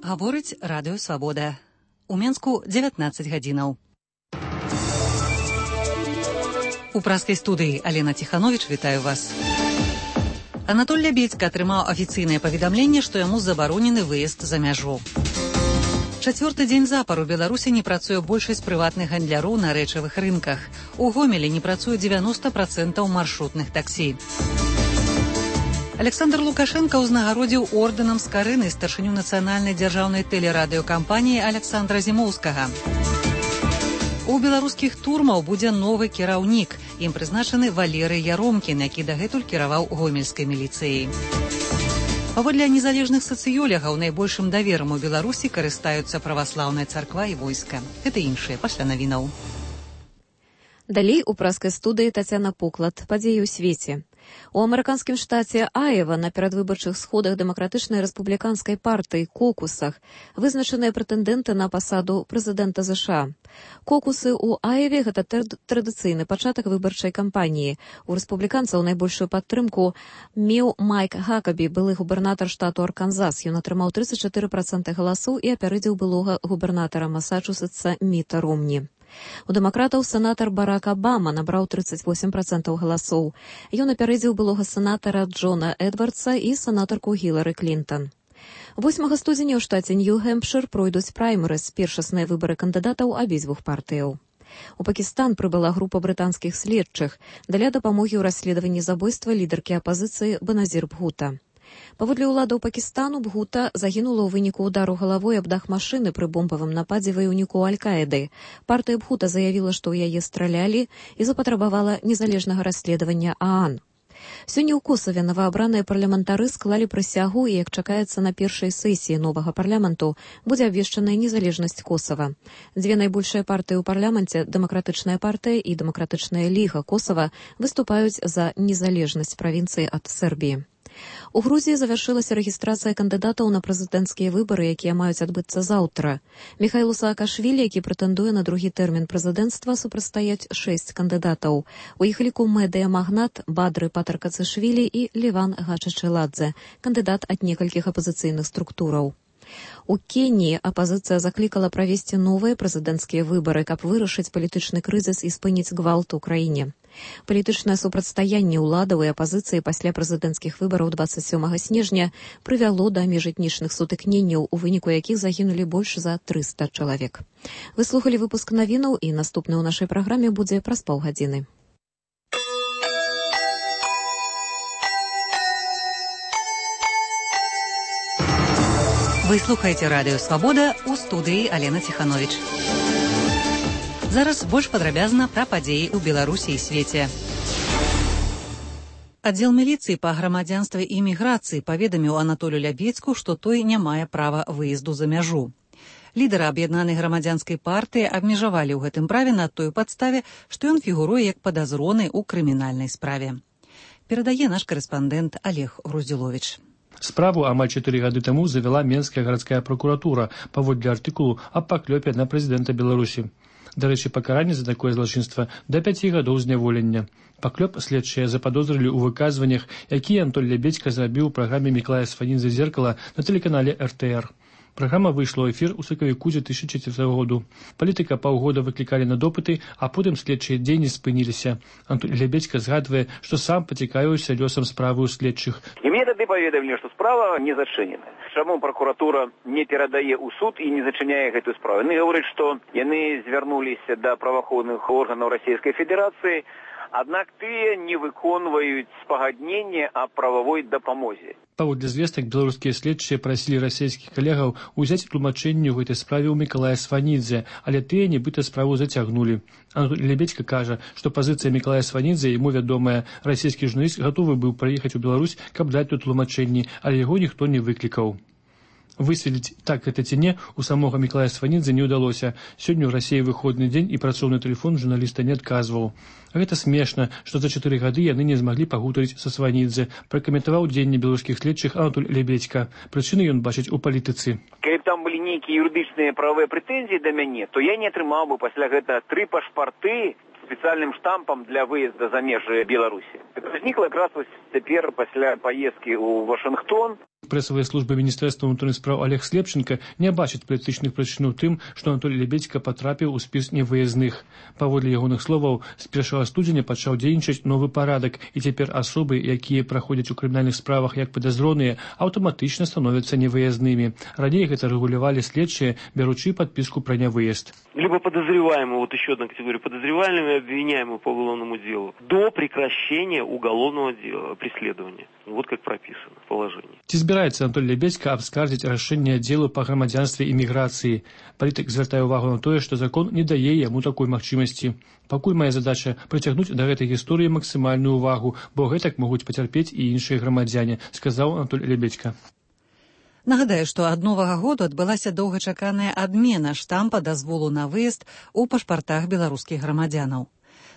Гаворыць радыё «Свабода». У Менску 19 гадзінаў. У праскай студыі Алена Ціхановіч вітаю вас. Анатоль Лябедзька атрымаў афіцыйнае паведамленне, што яму забаронены выезд за мяжу. Чацвёрты дзень запар у Беларусі не працуе большасць прыватных гандляроў на рэчавых рынках. У Гомелі не працуе 90% маршрутных таксі. Александр Лукашенко ўзнагародзіў ордэнам з Карыны старшыню нацыянальнай дзяржаўнай тэлерадыёкампаніі Александра Зімоўскага. У беларускіх турмаў будзе новы кіраўнік. Ім прызначаны Валерый Яромкін, які дагэтуль кіраваў гомельскай міліцыяй. Паводле незалежных сацыёлягаў найбольшым даверам у Беларусі карыстаюцца праваслаўная царква і войска. Гэта іншыя пасля навінаў. Далей у праскай студыі Тацяна Поклад. Падзеі ў свеце. У амерыканскім штаце Айва на перадвыбарчых сходах дэмакратычнай рэспубліканскай партыі «Кокусах» вызначаныя прэтэндэнты на пасаду прэзідэнта США. «Кокусы» ў Айве – гэта традыцыйны пачатак выбарчай кампаніі. У рэспубліканцаў найбольшую падтрымку меў Майк Хакабі, былы губернатар штату Арканзас. Ён атрымаў 34% галасоў і апярэдзіў былога губернатара Масачусетса Міта Ромні. У дэмакратаў сенатар Барак Абама набраў 38% галасоў. Ён апярэдзіў былога сенатара Джона Эдвардса і сенатарку Гілары Клінтон. 8 студзеня ў штаце Нью-Гэмпшыр пройдуць праймерыз, першасныя выбары кандыдатаў абедзвюх партыяў. У Пакістан прыбыла група брытанскіх следчых для дапамогі ў расследаванні забойства лідаркі апазіцыі Беназір Бхута. Паводле ўладаў Пакістану, Бхута загінула ў выніку ўдару галавой аб дах машыны пры бомбавым нападзе ваяўніку Аль-Каіды. Партыя Бхута заявіла, што ў яе стралялі і запатрабавала незалежнага расследавання ААН. Сёння ў Косаве новаабраныя парламентары склалі прысягу і, як чакаецца на першай сесіі новага парламенту, будзе абвешчаная незалежнасць Косава. Дзве найбольшыя партыі ў парламенце, Дэмакратычная партыя і Дэмакратычная ліга Косава, выступаюць за незалежнасць правінцыі ад Сербіі. У Грузіі завяршылася рэгістрацыя кандыдатаў на прэзідэнцкія выбары, якія маюць адбыцца заўтра. Міхаілу Саакашвілі, які прэтэндуе на другі тэрмін прэзідэнцтва, супрацьстаяць 6 кандыдатаў. У іх ліку медыа-магнат Бадры Патаркацышвілі і Леван Гачачэладзе, кандыдат ад некалькіх апазіцыйных структураў. У Кеніі апазіцыя заклікала правесці новыя прэзідэнцкія выбары, каб вырашыць палітычны крызіс і спыніць гвалт у краіне. Палітычнае супрацьстаянне ўладаў і апазіцыі пасля прэзідэнцкіх выбараў 27 снежня прывяло да міжэтнічных сутыкненняў, у выніку якіх загінулі больш за 300 чалавек. Вы слухалі выпуск навінаў, і наступны ў нашай праграме будзе праз паўгадзіны. Вы слухаеце радыё «Свабода», у студыі Алена Ціхановіч. Зараз больш падрабязна пра падзеі ў Беларусі і свеце. Аддзел міліцыі па грамадзянстве і міграцыі паведаміў Анатолю Лябедзьку, што той не мае права выезду за мяжу. Лідара аб'яднанай грамадзянскай партыі абмежавалі ў гэтым праве на той падставе, што ён фігуруе як падазроны ў крымінальнай справе. Перадае наш корэспандэнт Олег Груздзіловіч. Справу амаль 4 гады таму завяла Менская гарадская пракуратура паводле артыкулу аб паклёпе на прэзідэнта Беларусі. Дарэчы, пакаранне за такое злачынства да 5 гадоў зняволення. Паклёп следчыя западозрылі ў выказваннях, якія Анатоль Лябедзька зрабіў у праграме Міклая Сфанідзе «Зеркала» на тэлеканале РТР. Праграма выйшла ў эфір у сакавіку 2004 году. Палітыка паўгода выклікалі на допыты, а потым следчыя дзеянні спыніліся. Анатоль Лябедзька згадвае, што сам пацікавіўся лёсам справы ў следчых. І мне тады паведамілі, што справа не зачынена. Чаму пракуратура не перадае ў суд і не зачыняе гэтую справу? Яны гавораць, што яны звярнуліся да праваахоўных органаў Расійскай Федэрацыі, аднак тыя не выконваюць спагадненне аб прававой дапамозе. Паводле звестак беларускія следчыя прасілі расійскіх калегаў узяць тлумачэнне ў гэтай справе ў Мікалая Сфанідзе, але тыя нібыта справу зацягнулі. Анатоль Лябедзька кажа, што пазіцыя Мікалая Сфанідзе, яму вядомая, расійскі журналіст гатовы быў прыехаць у Беларусь, каб даць тут тлумачэнні, але яго ніхто не выклікаў. Высветліць, так гэта ці не, у самога Мікалая Сфанідзе не ўдалося. Сёння ў Расіі выходны дзень і працоўны тэлефон журналіста не адказваў. Гэта смешна, што за 4 гады яны не змаглі пагутарыць са Сфанідзе, пракаментаваў дзеянне беларускіх следчых Анатоль Лябедзька. Прычыны ён бачыць у палітыцы. Калі б там былі нейкія юрыдычныя правыя прэтэнзіі да мяне, то я не атрымаў бы пасля гэта 3 пашпарты специальным штампом для выезда за межы Беларусі. Это возникло якраз цяпер пасля поездки ў Вашингтон. прэсавай службы міністэрства ўнутраных спраў Олег Слепченко не бачыць палітычных прычын у тым, што Анатолий Лебедзька патрапіў у спіс невыязных. Паводле ягоных словаў, з 1 студзеня пачаў дзейнічаць новы парадак, і цяпер асобы, якія праходзяць у крымінальных справах як падазроныя, аўтаматычна становяцца невыязнымі. Раней гэта рэгулявалі следчыя, беручи подписку про невыезд. Либо подозреваемый, вот еще одна категория, подозреваемый, обвиняемый по уголовному делу, до прекращения уголовного дела, преследования. Вот как прописано в положении. Ці збіраецца Анатолий Лебедзька абскардзіць рашэнне аддзелу па грамадзянстве і міграцыі? Палітык звяртае ўвагу на тое, што закон не дае яму такой магчымасці. Пакуль мая задача прыцягнуць да гэтай гісторыі максімальную увагу, бо гэтак могуць пацярпець і іншыя грамадзяне, сказаў Анатолий Лебедзька. Нагадаю, што ад новага году адбылася доўгачаканая адмена штампа дазволу на выезд у пашпартах беларускіх грамадзянаў.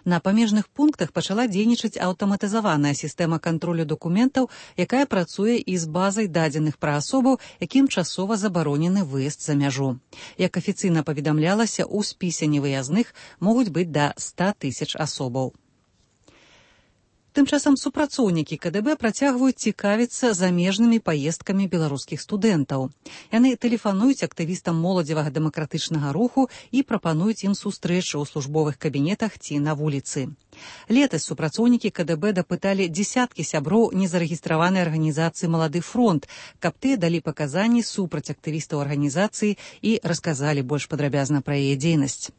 На памежных пунктах пачала дзейнічаць аўтаматызаваная сістэма кантролю дакументаў, якая працуе і з базай дадзеных пра асобу, якім часова забаронены выезд за мяжу. Як афіцыйна паведамлялася, у спісе невыязных могуць быць да 100 000 асобаў. Тым часам супрацоўнікі КДБ працягваюць цікавіцца замежнымі паездкамі беларускіх студэнтаў. Яны тэлефануюць актывістам моладзевага дэмакратычнага руху і прапануюць ім сустрэчы ў службовых кабінетах ці на вуліцы. Летась супрацоўнікі КДБ дапыталі дзесяткі сяброў незарэгістраванай арганізацыі «Малады фронт», каб тыя далі паказанні супраць актывістаў арганізацыі і расказалі больш падрабязна пра яе дзейнасць.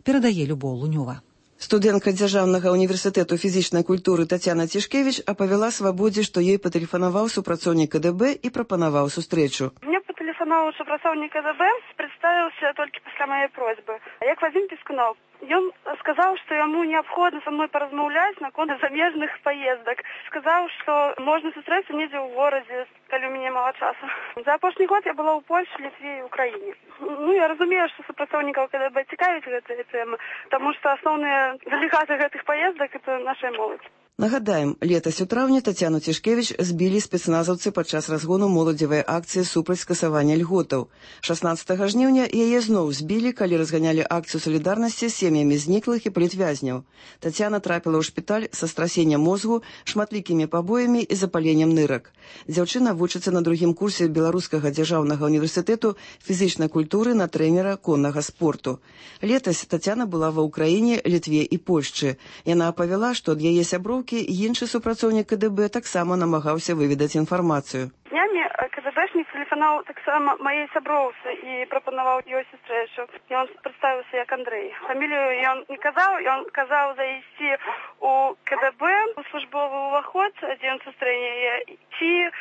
Перадае Любоў Лунёва. Студэнтка Дзяржаўнага універсітэту фізічнай культуры Тацяна Цішкевіч апавяла Свабодзе, што ёй патэлефанаваў супрацоўнік КДБ і прапанаваў сустрэчу. Мне патэлефанаваў супрацоўнік КДБ, прадставіўся толькі пасля мае просьбы. Як Вадзім Пескунов. Ён сказаў, што яму неабходна са мной паразмаўляць наконт замежных паездак. Сказаў, што можна сустрэцца недзе ў горадзе, калі ў мяне мала часу. За апошні год я была ў Польшы, Літве і Украіне. Я разумею, што супрацоўнікаў КДБ цікавіць гэтыя тэмы, таму што асноўныя дэлегаты гэтых паездак – это наша моладзь. Нагадаем, летась у траўні Тацяну Цішкевіч збілі спецназаўцы падчас разгону моладзевай акцыі супраць скасавання льготаў. 16 жніўня яе зноў збілі, калі разганялі акцыю салідарнасці з сем'ямі зніклых і палітвязняў. Тацяна трапіла ў шпіталь са страсеннем мозгу, шматлікімі пабоямі і запаленнем нырак. Дзяўчына вучыцца на другім курсе Беларускага дзяржаўнага універсітэту фізічнай культуры на трэнера коннага спорту. Летась Тацяна была ва Ўкраіне, Літве і Польшчы. Яна апавяла, што ад яе сяброўкі іншы супрацоўнік КДБ таксама намагаўся выведаць інфармацыю. Днямі КДБшнік тэлефанаваў таксама маёй сяброўцы і прапанаваў ёй сустрэчу. Ён прадставіўся як Андрэй. Фамілію ён не казаў, ён казаў зайсці у КДБ, у службовы ўваход, дзе ён сустрэне яе, ці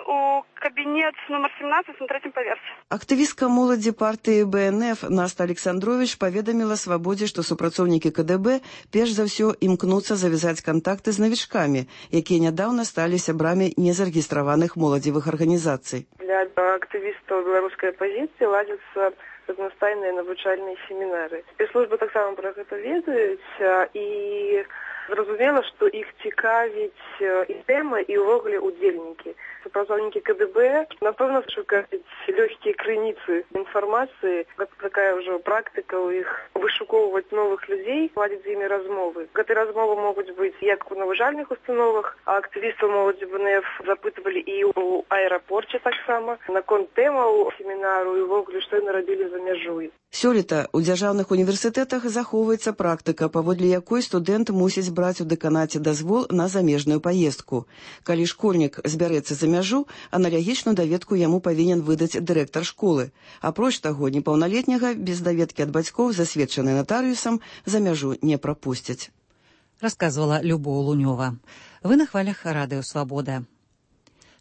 у кабінет нумар 17 на 3-м паверсе. Актывістка моладзі партыі БНФ Наста Александрович паведаміла Свабодзе, што супрацоўнікі КДБ перш за ўсё імкнуцца завязаць кантакты з навічкамі, якія нядаўна сталі сябрамі незарэгістраваных моладзевых арганізацый. Для актывістаў беларускай апазіцыі ладзяцца аднастайныя навучальныя семінары. Спецслужбы таксама пра гэта ведаюць і зразумела, што іх цікавіць і тэма, і ўвогуле удзельнікі. Супрацоўнікі КДБ, напэўна, шукаюць лёгкія крыніцы інфармацыі. Гэта такая ўжо практыка ў іх вышукоўваць новых людзей, ладзіць з імі размовы. Гэтыя размовы могуць быць як у навучальных установах, а актывістаў моладзі БНФ запытвалі і ў аэрапорце таксама наконт тэмаў семінару і ўвогуле, што яны рабілі за мяжой. Сёлета ў дзяржаўных універсітэтах захоўваецца практыка, паводле якой студэнт мусіць браць у дэканаце дазвол на замежную паездку. Калі школьнік збярэцца за мяжу, аналагічную даведку яму павінен выдаць дырэктар школы. Апроч таго, непаўналетняга без даведкі ад бацькоў, засведчанай натарыусам, за мяжу не прапусцяць. Расказвала Любоў Лунёва. Вы на хвалях радыё «Свабода».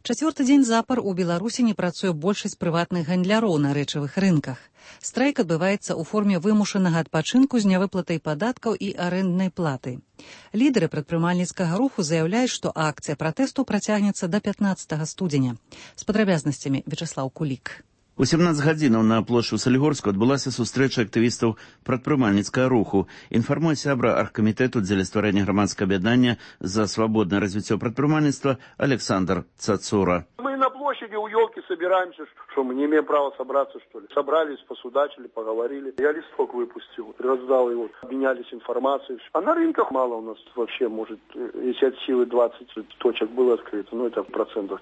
Чацвёрты дзень запар у Беларусі не працуе большасць прыватных гандляроў на рэчавых рынках. Страйк адбываецца ў форме вымушанага адпачынку з нявыплатай падаткаў і арэнднай платы. Лідары прадпрымальніцкага руху заяўляюць, што акцыя пратэсту працягнецца да 15 студзеня. З падрабязнасцямі Вячаслаў Кулік. У 17 гадзінаў на плошчы ў Салігорску адбылася сустрэча актывістаў прадпрымальніцкага руху. Інфармуе сябра аргкамітэту дзеля стварэння грамадскага аб'яднання за свабоднае развіццё прадпрымальніцтва Александр Цацура. Мы на площади у елки собираем. собираемся, что мы не имеем права собраться, что ли. Собрались, посудачили, поговорили. Я листок выпустил, раздал его, обменялись информацией. А на рынках мало у нас вообще, может, если от силы 20 точек было открыто, это 5%.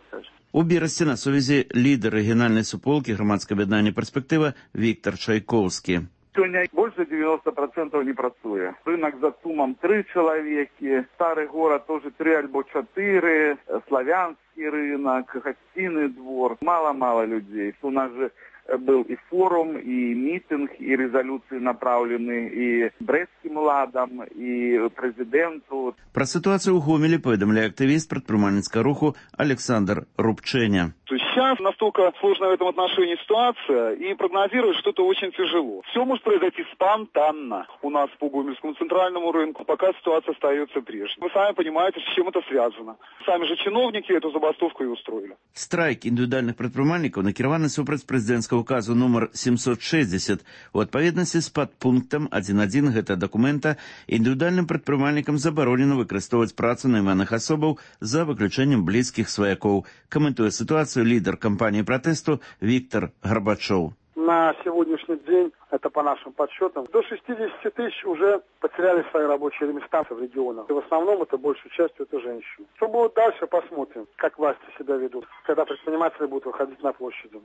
У Берасці на сувязі лідер регіональної суполки громадського об'єднання «Перспектива» Віктор Чайковський. Сегодня больше 90% не працує. Рынок за Сумом 3 человека, старый город тоже 3 або 4, славянский рынок, гостиный двор. Мало людей. У нас же был и форум, и митинг, и резолюции направлены и Брестским ладам, и президенту. Про ситуацию у Гомелі повідомляє активіст предпринимательского руху Александр Рубченя. Сейчас настолько сложная в этом отношении ситуация, и прогнозировать что-то очень тяжело. Все может произойти спонтанно у нас по Гомельскому центральному рынку, пока ситуация остается прежней. Вы сами понимаете, с чем это связано. Сами же чиновники эту забастовку и устроили. Страйк індивідуальних предпринимальников накіраваны супраць прэзідэнцкага указу номер 760. У адпаведнасці з падпунктам 1.1 гэтага дакумента індывідуальным прадпрымальнікам забаронена выкарыстоўваць працу найманых асобаў за выключэннем блізкіх сваякоў. Каментуе ситуацию лидер кампании протесту Виктор Горбачев. На сегодняшний день, это по нашим подсчетам, до 60 тысяч уже потеряли свои рабочие места в регионах. И в основном это большей частью это женщины. Что будет дальше, посмотрим, как власти себя ведут, когда предприниматели будут выходить на площади.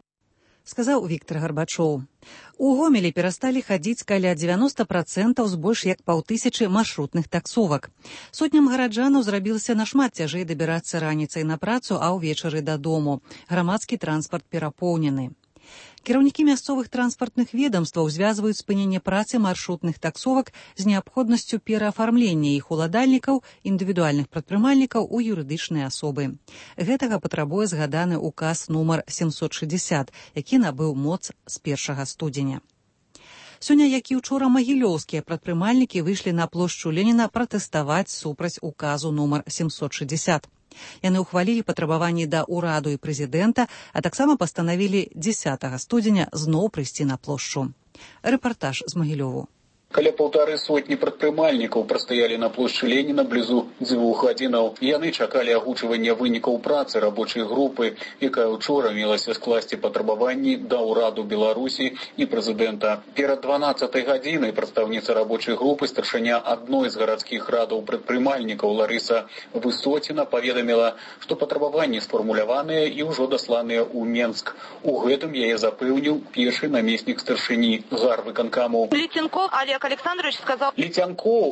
Сказаў Віктор Гарбачоў. У Гомелі перасталі хадзіць каля 90% з больш як 500 маршрутных таксовак. Сотням гараджанаў зрабілася нашмат цяжэй дабірацца раніцай на працу, а ўвечары дадому. Грамадскі транспарт перапоўнены. Кіраўнікі мясцовых транспартных ведомстваў звязваюць спыненне працы маршрутных таксовак з неабходнасцю пераафармлення іх уладальнікаў, індывідуальных прадпрымальнікаў у юрыдычныя асобы. Гэтага патрабуе згаданы указ нумар 760, які набыў моц з 1 студзеня. Сёння, як і ўчора, магілёўскія прадпрымальнікі выйшлі на плошчу Леніна пратэставаць супраць указу нумар 760. Яны ўхвалілі патрабаванні да ўраду і прэзідэнта, а таксама пастанавілі 10 студзеня зноў прыйсці на плошчу. Рэпартаж з Магілёву. Каля 150 прадпрымальнікаў прастаялі на плошчы Леніна блізу 2 гадзінаў. Яны чакалі агучвання вынікаў працы рабочай групы, якая ўчора мелася скласці патрабаванні да ўраду Беларусі і прэзідэнта. Перад 12 гадзінай прадстаўніца рабочай групы, старшыня адной з гарадскіх радаў прадпрымальнікаў Ларыса Высоціна паведаміла, што патрабаванні сфармуляваныя і ўжо дасланыя ў Менск. У гэтым яе запэўніў першы намеснік старшыні гарвыканкаму. Летянков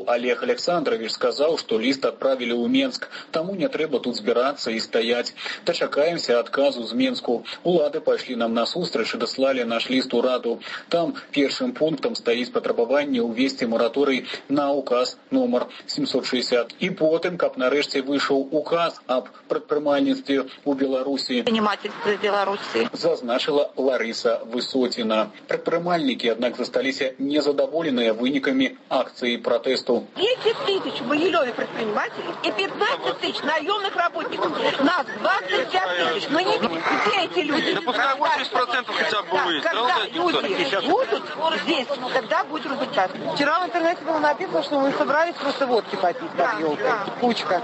Олег Александрович сказал, что лист отправили в Минск, тому не трэба тут збираться и стоять. Дочакаемся отказу з Минску. Улады пошли нам насустрач и дослали наш лист ураду. Там первым пунктом стоит патрабаванне увести мораторий на указ номер 760. И потом, как нарэшце вышел указ об прадпрымальніцтве у Беларуси, зазначила Лариса Высотина. Прадпрымальнікі, однако, засталіся незадоволенные выніками акции протесту. 10 тысяч в Могилеве предпринимателей и 15 тысяч наемных работников. Нас 25 тысяч. Но не где эти люди? Да пускай 80% хотя бы выйдет. Когда люди будут здесь, тогда будет результат. Вчера в интернете было написано, что мы собрались просто водки попить под елкой. Кучка.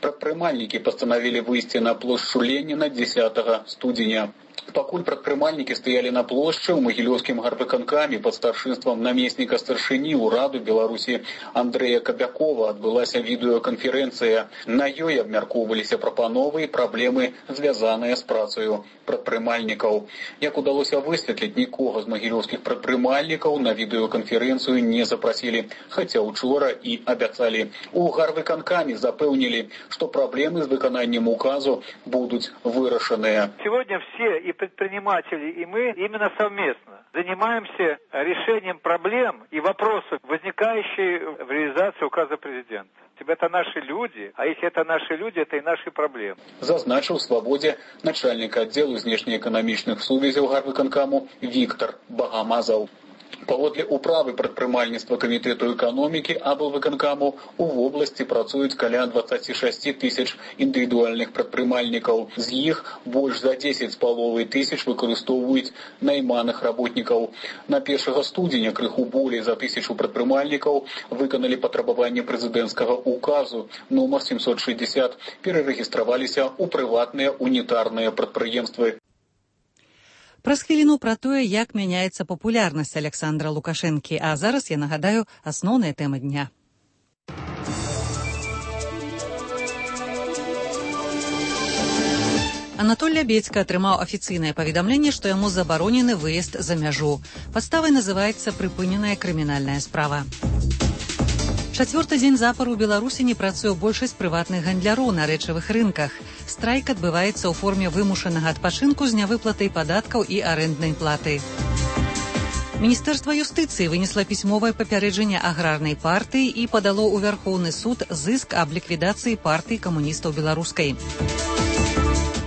Прадпрымальнікі пастанавілі выйсці на плошчу Леніна 10 студзеня. Пакуль прадпрымальнікі стаялі на плошчы, у магілёўскім гарвыканкаме пад старшынствам намесніка старшыні ўраду Беларусі Андрэя Кабякова адбылася відэаканферэнцыя. На ёй абмяркоўваліся прапановы і праблемы, звязаныя з працаю прадпрымальнікаў. Як удалося высветліць, нікога з магілёўскіх прадпрымальнікаў на відэаканферэнцыю не запрасілі, хаця учора і абяцалі. У гарвыканкаме запэўнілі, што праблемы з выкананнем указу будуць вырашаныя. Сегодня все, и предприниматели, и мы, именно совместно занимаемся решением проблем и вопросов, возникающих в реализации указа президента. Это наши люди, а если это наши люди, это и наши проблемы. Зазначил в «Свободе» начальник отдела внешнеэкономічных сувязяў гарвыканкаму Виктор Багамазов. Паводле управы прадпрымальніцтва камітэту эканомікі аблвыканкаму у вобласці працуюць каля 26 тысяч індывідуальных прадпрымальнікаў. З іх больш за 10,5 тысяч выкарыстоўваюць найманых работнікаў. На 1 студзеня крыху болей за 1000 прадпрымальнікаў выканалі патрабаванне прэзідэнцкага указу номер 760, перарэгістраваліся ў прыватныя унітарныя прадпрыемствы. Праз хвіліну пра тое, як мяняецца папулярнасць Александра Лукашэнкі, а зараз я нагадаю асноўныя тэмы дня. Анатоль Лябедзька атрымаў афіцыйнае паведамленне, што яму забаронены выезд за мяжу. Падставай называецца прыпыненая крымінальная справа. Чацвёрты дзень запар у Беларусі не працуе большасць прыватных гандляроў на рэчавых рынках. Страйк адбываецца ў форме вымушанага адпачынку з нявыплатай падаткаў і арэнднай платы. Міністэрства юстыцыі вынесла пісьмовае папярэджанне аграрнай партыі і падало ў Вярхоўны суд зыск аб ліквідацыі партыі камуністаў беларускай.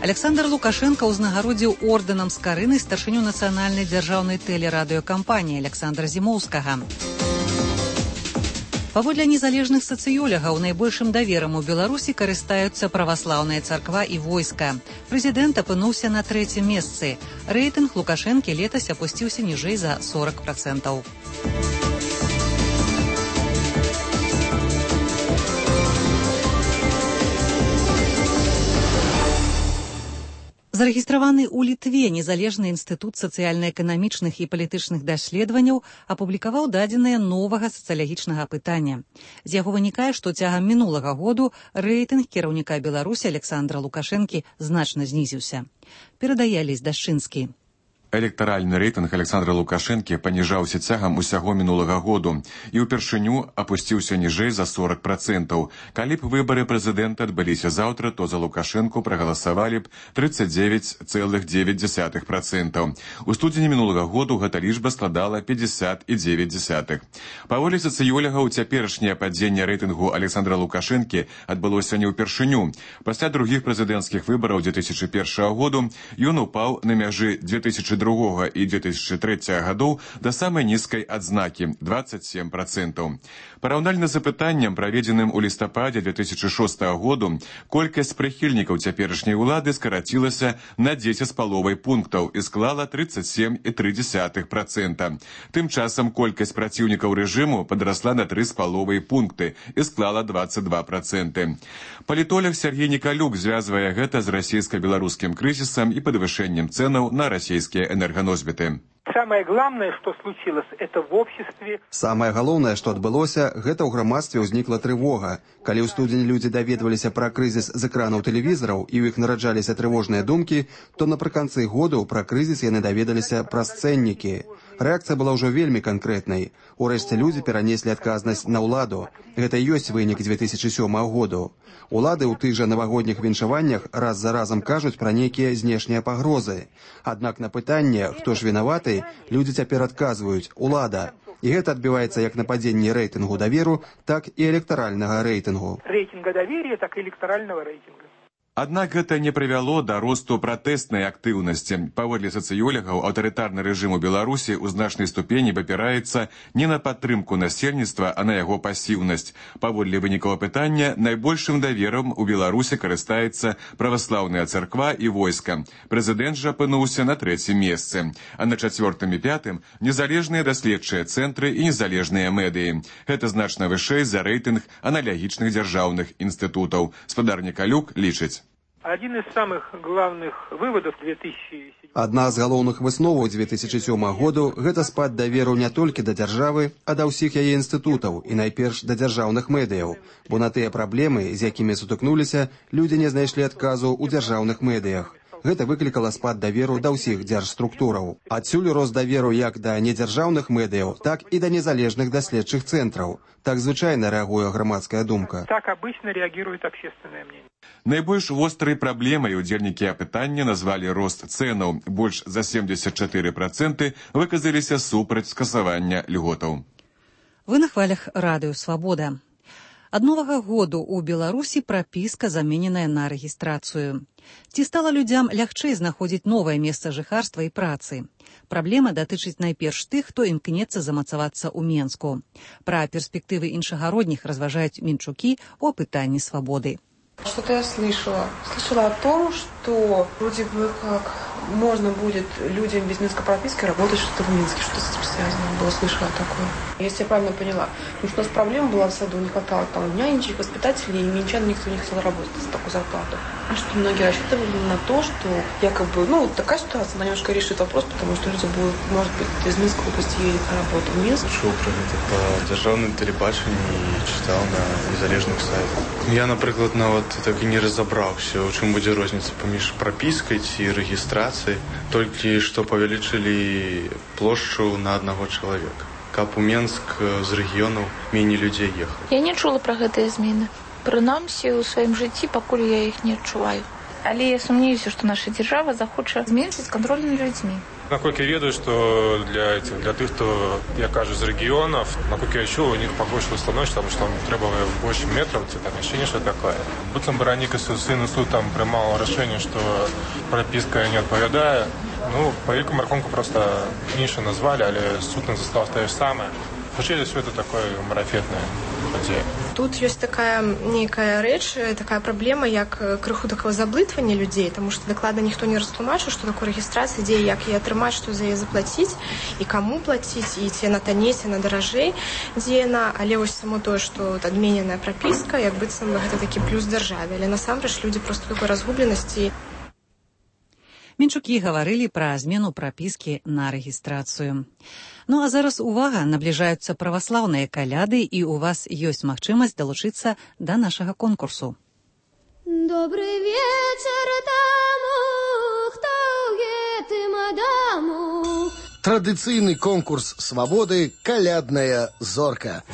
Александр Лукашенко ўзнагародзіў ордэнам Скарыны старшыню нацыянальнай дзяржаўнай тэлерадыёкампаніі Александра Зімоўскага. Паводле незалежных сацыёлагаў найбольшым даверам у Беларусі карыстаюцца праваслаўная царква і войска. Прэзідэнт апынуўся на 3-м месцы. Рэйтынг Лукашэнкі летась апусціўся ніжэй за 40%. Зарэгістраваны ў Літве незалежны інстытут сацыяльна-эканамічных і палітычных даследаванняў апублікаваў дадзеныя новага сацыялагічнага апытання. З яго вынікае, што цягам мінулага году рэйтынг кіраўніка Беларусі Александра Лукашэнкі значна знізіўся. Перадае Алесь Дашчынскі. Электаральны рэйтынг Александра Лукашэнкі паніжаўся цягам усяго мінулага году і ўпершыню апусціўся ніжэй за 40%. Калі б выбары прэзідэнта адбыліся заўтра, то за Лукашэнку прагаласавалі б 39,9%. У студзені мінулага году гэта лічба складала 50,9%. Паводле сацыёлагаў, цяперашняе падзенне рэйтынгу Александра Лукашэнкі адбылося не ўпершыню. Пасля другіх прэзідэнцкіх выбараў 2001 году ён упаў на мяжы 2002 і 2003 гадоў да самай нізкай адзнакі – 27%. Параўнальна з апытаннем, праведзеным у лістападзе 2006 году, колькасць прыхільнікаў цяперашняй улады скарацілася на 10,5 пунктаў і склала 37,3%. Тым часам колькасць праціўнікаў рэжыму падрасла на 3,5 пункты і склала 22%. Палітолог Сергей Николюк звязвае гэта з расійска-беларускім крызісам і падвышэннем цэнаў на расійскія энерганосьбіты. Самое главное, что случилось, это в обществе. Самое галоўнае, што адбылося, гэта ў грамадстве ўзнікла трывога. Калі ў студзені людзі даведваліся пра крызіс з экранаў тэлевізараў і ў іх нараджаліся трывожныя думкі, то напрыканцы году пра крызіс яны даведаліся праз цэннікі. Рэакцыя была ўжо вельмі канкрэтнай. Урэшце людзі перанеслі адказнасць на ўладу. Гэта і ёсць вынік 2007 году. Улады ў тых жа навагодніх віншаваннях раз за разам кажуць пра нейкія знешнія пагрозы. Аднак на пытанне, хто ж вінаваты, людзі цяпер адказваюць «Улада». І гэта адбіваецца як на падзенні рэйтынгу даверу, так і электаральнага рэйтынгу. Рэйтинга доверия, так и электорального рейтинга. Аднак гэта не прывяло да росту пратэснай актыўнасці. Паводле сацыёлагаў, аўтарытарны рэжым у Беларусі ў значнай ступені абапіраецца не на падтрымку насельніцтва, а на яго пасіўнасць. Паводле вынікаў апытання, найбольшым даверам у Беларусі карыстаецца праваслаўная царква і войска. Прэзідэнт жа апынуўся на 3-м месцы. А на 4-м і 5-м незалежныя даследчыя цэнтры і незалежныя медыі. Гэта значна вышэй за рэйтынг аналагічных дзяржаўных інстытутаў. Спадар Николюк лічыць. Один из самых главных выводов 2007 Адна з галоўных высноваў 2007 году – гэта спад даверу не толькі да дзяржавы, а да ўсіх яе інстытутаў і найперш да дзяржаўных медыяў, бо на тыя праблемы, з якімі сутыкнуліся, людзі не знайшлі адказу ў дзяржаўных медыях. Гэта выклікала спад даверу да ўсіх дзяржструктураў. Адсюль рост даверу як да недзяржаўных медыяў, так і да незалежных даследчых цэнтраў. Так звычайна рэагуе грамадская думка. Так обычно реагирует общественное мнение. Найбольш вострай праблемай удзельнікі апытання назвалі рост цэнаў. Больш за 74% выказаліся супраць скасавання льготаў. Вы на хвалях радыё «Свабода». Ад новага году ў Беларусі прапіска замененая на рэгістрацыю. Ці стала людзям лягчэй знаходзіць новае месца жыхарства і працы? Праблема датычыць найперш тых, хто імкнецца замацавацца ў Менску. Пра перспектывы іншагародніх разважаюць мінчукі ў апытанні «Свабоды». Что-то я слышала. Слышала о том, что вроде бы как можно будет людям без минской прописки работать что-то в Минске. Что с этим связано было, слышала такое. Если я правильно поняла, потому что у нас проблема была в саду, не хватало там нянечек, воспитателей, и минчан никто не хотел работать за такую зарплату. И что многие рассчитывали на то, что якобы, вот такая ситуация, она немножко решит вопрос, потому что люди будут, может быть, из Минской области едут на работу в Минск. Чув про гэта па дзяржаўным тэлебачанні і чытаў на незалежных сайтах. Я, напрыклад, нават так і не разабраўся, у чым будзе розніца паміж прапіскай ці рэгістрацыяй, толькі што павялічылі плошчу на аднаго чалавека. Каб у Менск з рэгіёнаў меней людзей ехала. Я не чула пра гэтыя змены. Прынамсі, у сваім жыцці пакуль я іх не адчуваю. Але я сумнеюся, што наша дзяржава захоча зменшыць кантроль над людзьмі. Насколько я ведаю, что для тех, кто, я кажу, з регионов, насколько я чув, у них погоршилось становище, потому что там требовали больше метров, там ощущение, что такое. Буцем Бараника суд там принимал решение, что прописка не отповедает. По великому рахунку просто меньше назвали, але суд нас застал те же самое. Вообще все это такое марафетное падзея. Тут ёсць такая нейкая рэч, такая праблема, як крыху такого заблытвання людзей, таму што дакладна ніхто не растлумачыў, што такое рэгістрацыя, дзе як яе атрымаць, што за яе заплаціць і каму плаціць, і ці яна танней, ці яна даражэй, дзе яна, але вось само тое, што адмененая прапіска, як быццам гэта такі плюс дзяржаве, але насамрэч людзі проста такой разгубленасці. Мінчукі гаварылі пра змену прапіскі на рэгістрацыю. А зараз увага, набліжаюцца праваслаўныя каляды, і у вас ёсць магчымасць далучыцца да нашага конкурсу. Добры вечар таму, хто ў гэтым адаму. Традыцыйны конкурс свабоды «Калядная зорка».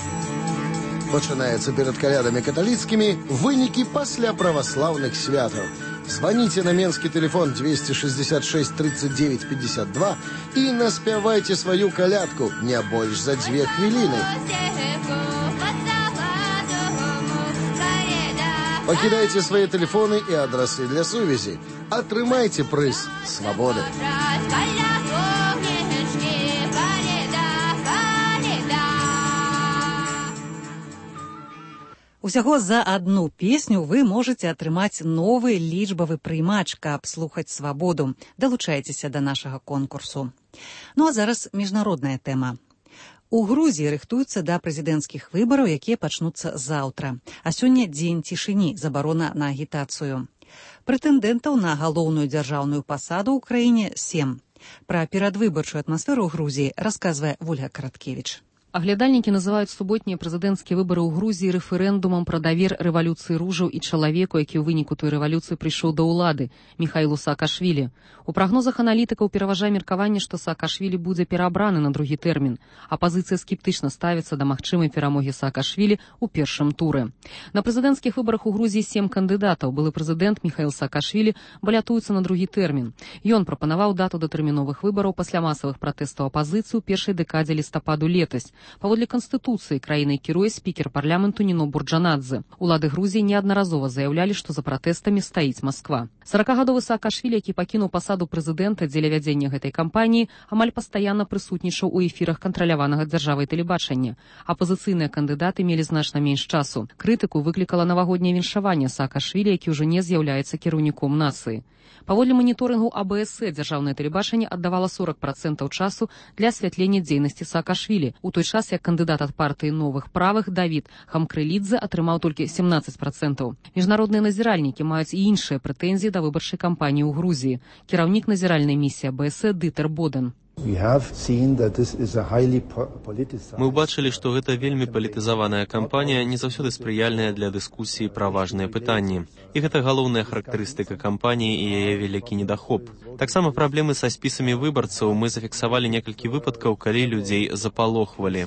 Пачынаецца перад калядамі каталіцкімі, вынікі пасля праваслаўных святаў. Звоните на менский телефон 266 39 52 и наспявайте свою колядку не больше за 2 хвилины. Покидайте свои телефоны и адресы для сувязі. Атрымайте прыз свободы. Усяго за одну песню вы можете атрымаць новы лічбавы прыймач, каб слухаць свабоду. Далучайцеся да нашага конкурсу. А зараз міжнародная тэма. У Грузіі рыхтуюцца да прэзідэнцкіх выбараў, якія пачнуцца заўтра. А сёння дзень цішыні, забарона на агітацыю. Прэтэндэнтаў на галоўную дзяржаўную пасаду ў краіне 7. Пра перадвыбарчую атмасферу ў Грузіі расказвае Вольга Караткевіч. Аглядальнікі называюць суботнія прэзідэнцкія выбары ў Грузіі рэферэндумам пра давер рэвалюцыі ружаў і чалавеку, які ў выніку той рэвалюцыі прыйшоў да ўлады, Міхаілу Саакашвілі. У прагнозах аналітыкаў пераважае меркаванне, што Саакашвілі будзе пераабраны на другі тэрмін. Апазіцыя скептычна ставіцца да магчымай перамогі Саакашвілі ў першым туры. На прэзідэнцкіх выбарах у Грузіі 7 кандыдатаў. Былы прэзідэнт Міхаіл Саакашвілі балятуецца на другі тэрмін. Ён прапанаваў дату датэрміновых выбараў пасля масавых пратэстаў апазіцыі ў першай дэкадзе лістападу летась. Паводле Канстытуцыі краінай кіруе спікер парламенту Ніно Бурджанадзе. Улады Грузіі неаднаразова заяўлялі, што за пратэстамі стаіць Масква. 40-гадовы Саакашвілі, які пакінуў пасаду прэзідэнта дзеля вядзення гэтай кампаніі, амаль пастаянна прысутнічаў у эфірах кантраляванага дзяржавай тэлебачання. Апазіцыйныя кандыдаты мелі значна менш часу. Крытыку выклікала навагодняе віншаванне Саакашвілі, які ўжо не з'яўляецца кіраўніком нацыі. Паводле маніторынгу АБС дзяржаўнае тэлебачанне аддавала 40% часу для асвятлення дзейнасці Саакашвілі, у той час як кандыдат ад партыі новых правых Давід Хамкрэлідзе атрымаў толькі 17%. Міжнародныя назіральнікі маюць і іншыя прэтэнзіі да выбарчай кампаніі ў Грузіі. Кіраўнік назіральнай місіі АБС Дытер Боден. Мы ўбачылі, што гэта вельмі палітызаваная кампанія, не заўсёды спрыяльная для дыскусіі пра важныя пытанні. І гэта галоўная характарыстыка кампаніі і яе вялікі недахоп. Таксама праблемы са спісамі выбарцаў. Мы зафіксавалі некалькі выпадкаў, калі людзей запалохвалі.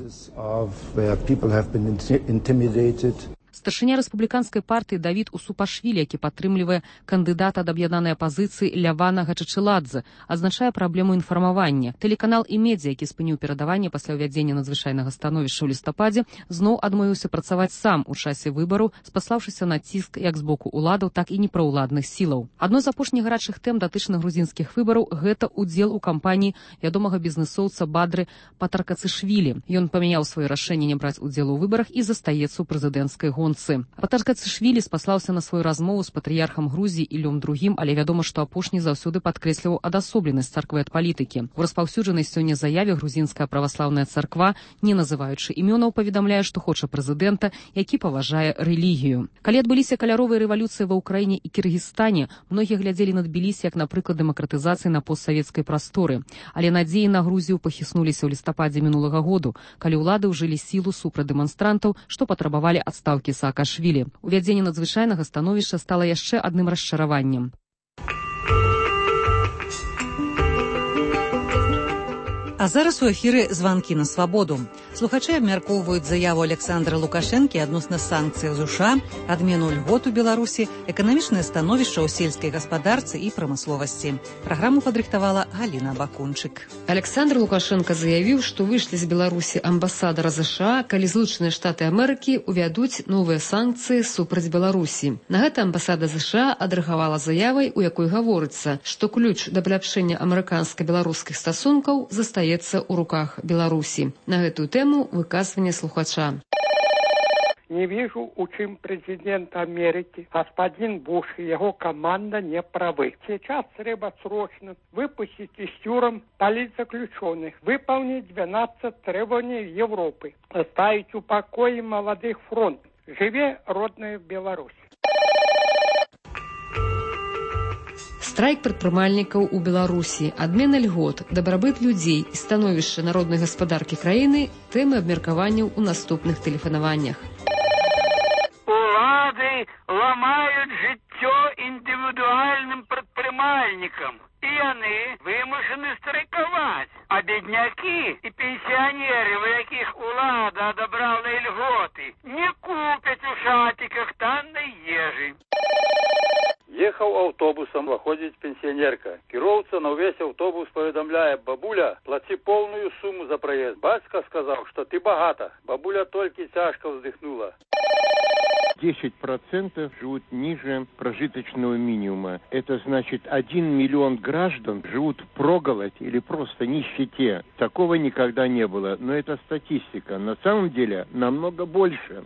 Старшыня рэспубліканскай партыі Давід Усупашвілі, які падтрымлівае кандыдата ад аб'яднанай апазіцыі Лявана Гачачыладзе, адзначае праблему інфармавання. Тэлеканал «Імедзя», які спыніў перадаванне пасля ўвядзення надзвычайнага становішча ў лістападзе, зноў адмовіўся працаваць сам у часе выбараў, спаслаўшыся на ціск як з боку ўладаў, так і непраўладных сілаў. Адной з апошніх гарачых тэм датычных грузінскіх выбараў гэта ўдзел у кампаніі вядомага бізнэсоўца Бадры Патаркацышвілі. Ён памяняў сваё рашэнне не браць удзел у выбарах і застаецца ў прэзідэнцкай гонцы. абаронцы. Патаркацышвілі спаслаўся на сваю размову з патрыярхам Грузіі Ілём II, але вядома, што апошні заўсёды падкрэсліваў адасобленасць царквы ад палітыкі. У распаўсюджанай сёння заяве грузінская праваслаўная царква, не называючы імёнаў, паведамляе, што хоча прэзідэнта, які паважае рэлігію. Калі адбыліся каляровыя рэвалюцыі ва Ўкраіне і Кіргізстане, многія глядзелі на Тбілісі як на прыклад дэмакратызацыі на постсавецкай прасторы. Але надзеі на Грузію пахіснуліся ў лістападзе мінулага году, калі ўлады ўжылі сілу супраць дэманстрантаў, што патрабавалі адстаўкі Саакашвілі. Увядзенне надзвычайнага становішча стала яшчэ адным расчараваннем. А зараз у эфіры званкі на свабоду. Слухачы абмяркоўваюць заяву Александра Лукашэнкі адносна санкцый ЗША, адмену льгот у Беларусі, эканамічнае становішча ў сельскай гаспадарцы і прамысловасці. Праграму падрыхтавала Галіна Бакунчык. Александр Лукашенко заявіў, што вышлі з Беларусі амбасадара ЗША, калі Злучаныя Штаты Амерыкі увядуць новыя санкцыі супраць Беларусі. На гэта амбасада ЗША адрэагавала заявай, у якой гаворыцца, што ключ да паляпшэння амерыканска-беларускіх стасункаў застаецца ў руках Беларусі. На гэтую тэму выказванне слухача. Не вижу, у чем президент Америки, господин Буш и его команда не правы. Сейчас треба срочно выпустить из тюрем политзаключенных, выполнить 12 требований Европы, оставить в покое молодых фронт. Живе родная Беларусь. Страйк прадпрымальнікаў у Беларусі, адмена льгот, дабрабыт людзей і становішча народнай гаспадаркі краіны – тэмы абмеркаванняў у наступных тэлефанаваннях. Улады ламаюць жыццё індывідуальным прадпрымальнікам, і яны вымушаны страйкаваць. А беднякі і пенсіянеры, у якіх улада адабрала льготы, не купяць у шатиках таннай ежы. Ехаў аўтобусам, выходзіць пенсіянерка. Кіроўца на ўвесь аўтобус паведамляе: бабуля, плаці поўную суму за праезд. Бацька сказаў, што ты багата. Бабуля толькі цяжка вздыхнула. 10% живут ниже прожиточного минимума. Это значит, 1 миллион граждан живут впроголодь или просто нищете. Такого никогда не было. Но это статистика. На самом деле намного больше.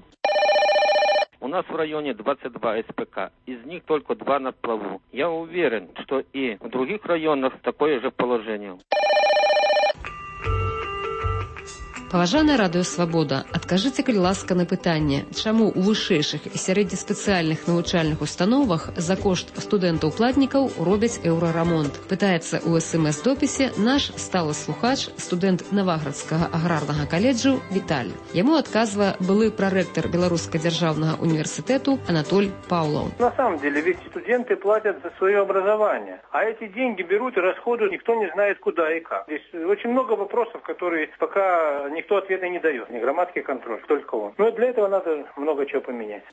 У нас в районе 22 СПК, из них только 2 на плаву. Я уверен, что и в других районах такое же положение. Паважаная радыё Свабода, адкажыце, калі ласка, на пытанне, чаму ў вышэйшых і сярэднеспецыяльных навучальных установах за кошт студэнтаў-платнікаў робяць еўрарамонт? Пытаецца ў СМС-допісе наш сталы слухач, студэнт Наваградскага аграрнага каледжу Віталь. Яму адказвае былы прарэктар Беларускага дзяржаўнага універсітэту Анатоль Паўлаў. На самом деле, ведь студенты платят за свое образование, а эти деньги берут и расходуют, никто не знает куда и как. Здесь очень много вопросов, которые пока никто ответа не дает. Ни громадский контроль, только он. Но для этого надо много чего поменять.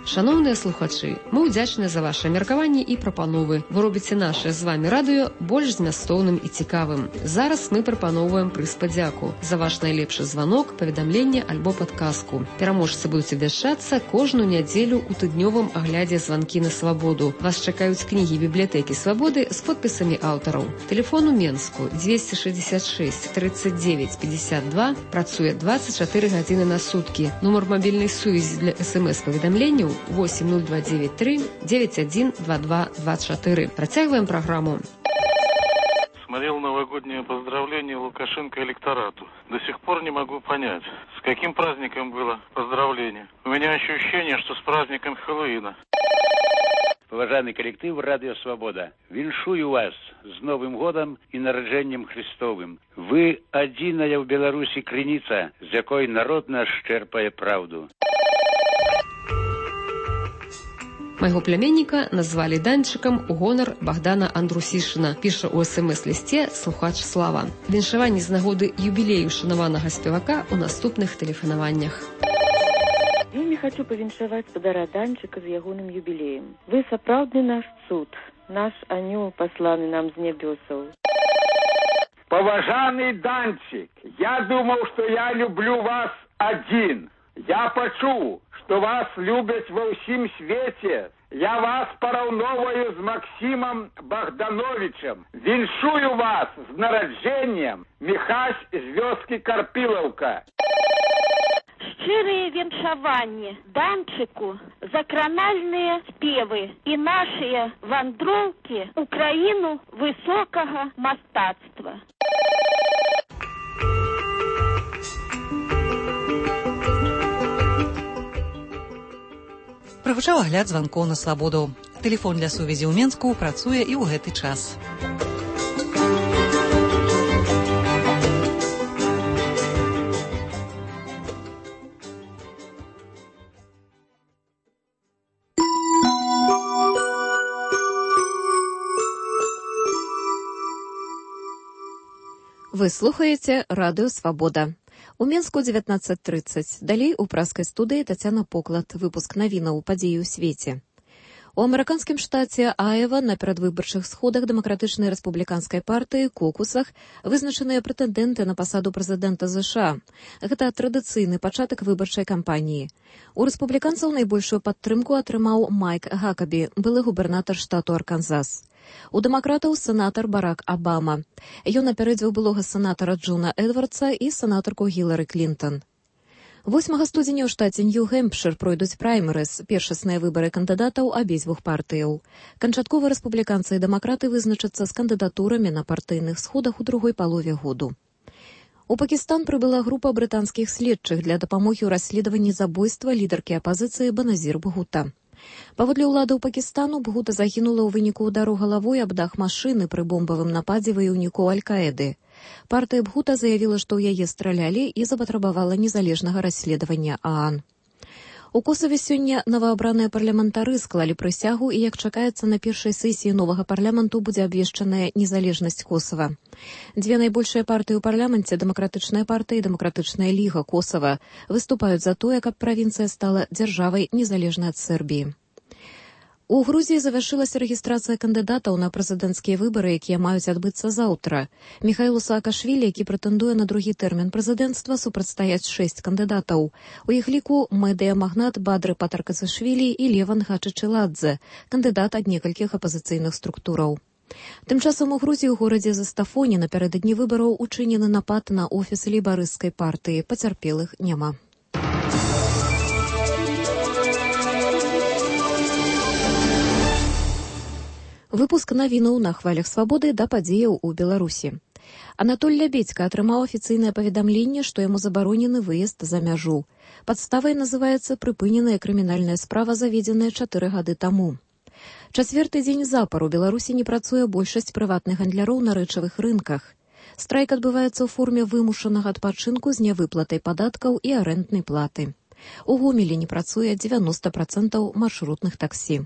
Шановныя слухачы, мы ўдзячныя за ваши меркаванні і прапановы. Вы робіце наше з вами радыё больш змястоўным і цікавым. Зараз мы прапаноўваем прыз падзяку за ваш найлепшы званок, паведамленне альбо падказку. Пераможцы будуць абвяшчацца кожную нядзелю ў тыднёвым аглядзе званкі на свабоду. Вас чакаюць кнігі бібліятэкі Свабоды з подпісамі аўтараў. Тэлефон у Менску 266 39 52, працуе 24 гадзіны на суткі. Нумар мабільнай сувязі для СМС-паведамленняў 80293 912224. Протягиваем программу. Смотрел новогоднее поздравление Лукашенко электорату. До сих пор не могу понять, с каким праздником было поздравление. У меня ощущение, что с праздником Хэллоуина. Уважаемый коллектив «Радио Свобода», віншую вас с Новым годом и народжением Христовым. Вы одиная в Беларуси крыніца, з якой народ наш черпае правду. Майго пляменніка назвалі Данчыкам у гонар Богдана Андрусішына, піша ў СМС-лісце слухач Слава. Віншаванні з нагоды юбілею шанаванага спевака ў наступных тэлефанаваннях. Вельмі хочу павіншаваць спадара Данчыка з ягоным юбілеем. Вы сапраўдны наш цуд, наш анёл пасланы нам з нябёсаў. Поважанный Данчик, я думал, что я люблю вас один. Я пачуў, што вас любяць ва ўсім свеце. Я вас параўноўваю з Максімам Богдановичем. Віншую вас з нараджэннем, Міхась з вёскі Карпілаўка. шчырыя віншаванні Данчыку, закранальныя спевы і нашыя вандроўкі ў краіну высокага мастацтва. Прагучаў агляд званкоў на свабоду. Тэлефон для сувязі ў Менску працуе і ў гэты час. Вы слухаеце радыё «Свабода». У Менску 19:30. Далей у праскай студыі Тацяна Поклад. Выпуск навінаў падзеі ў свеце. У амерыканскім штаце Аева на перадвыбарчых сходах дэмакратычнай рэспубліканскай партыі «Кокусах» вызначаныя прэтэндэнты на пасаду прэзідэнта США. Гэта традыцыйны пачатак выбарчай кампаніі. У рэспубліканцаў найбольшую падтрымку атрымаў Майк Гакабі, былы губернатар штату Арканзас. У дэмакратаў сенатар Барак Абама. Ён апярэдзіў былога сенатара Джона Эдвардса і сенатарку Гілары Клінтон. 8 студзеня ў штаце Нью-Гэмпшыр пройдуць праймерыз, першасныя выбары кандыдатаў абедзвюх партыяў. Канчаткова рэспубліканцы і дэмакраты вызначацца з кандыдатурамі на партыйных сходах у другой палове году. У Пакістан прыбыла група брытанскіх следчых для дапамогі ў расследаванні забойства лідаркі апазіцыі Баназір Бхута. Паводле ўладаў Пакістану, Бхута загінула ў выніку ўдару галавой аб дах машыны пры бомбавым нападзе ваяўнікоў Аль-Каэды. Партыя Бхута заявіла, што ў яе стралялі і запатрабавала незалежнага расследавання ААН. У Косаве сёння новаабраныя парламентары склалі прысягу і, як чакаецца, на першай сесіі новага парламенту будзе абвешчаная незалежнасць Косава. Дзве найбольшыя партыі ў парламенце, Дэмакратычная партыя і Дэмакратычная ліга Косава, выступаюць за тое, каб правінцыя стала дзяржавай незалежнай ад Сербіі. У Грузіі завяршылася рэгістрацыя кандыдатаў на прэзідэнцкія выбары, якія маюць адбыцца заўтра. Міхаілу Саакашвілі, які прэтэндуе на другі тэрмін прэзідэнцтва, супрацьстаяць 6 кандыдатаў. У іх ліку медыямагнат Бадры Патаркасашвілі і Леван Хачычыладзе, кандыдат ад некалькіх апазіцыйных структураў. Тым часам у Грузіі ў горадзе Застафоне напярэдадні выбараў учынены напад на офіс лейбарысцкай партыі. Пацярпелых няма. Выпуск навінаў на хвалях свабоды да падзеяў у Беларусі. Анатоль Лябедзька атрымаў афіцыйнае паведамленне, што яму забаронены выезд за мяжу. Падставай называецца прыпыненая крымінальная справа, заведзеная 4 гады таму. Чацвёрты дзень запар у Беларусі не працуе большасць прыватных гандляроў на рэчавых рынках. Страйк адбываецца ў форме вымушанага адпачынку з нявыплатай падаткаў і арэнднай платы. У Гомелі не працуе 90% маршрутных таксі.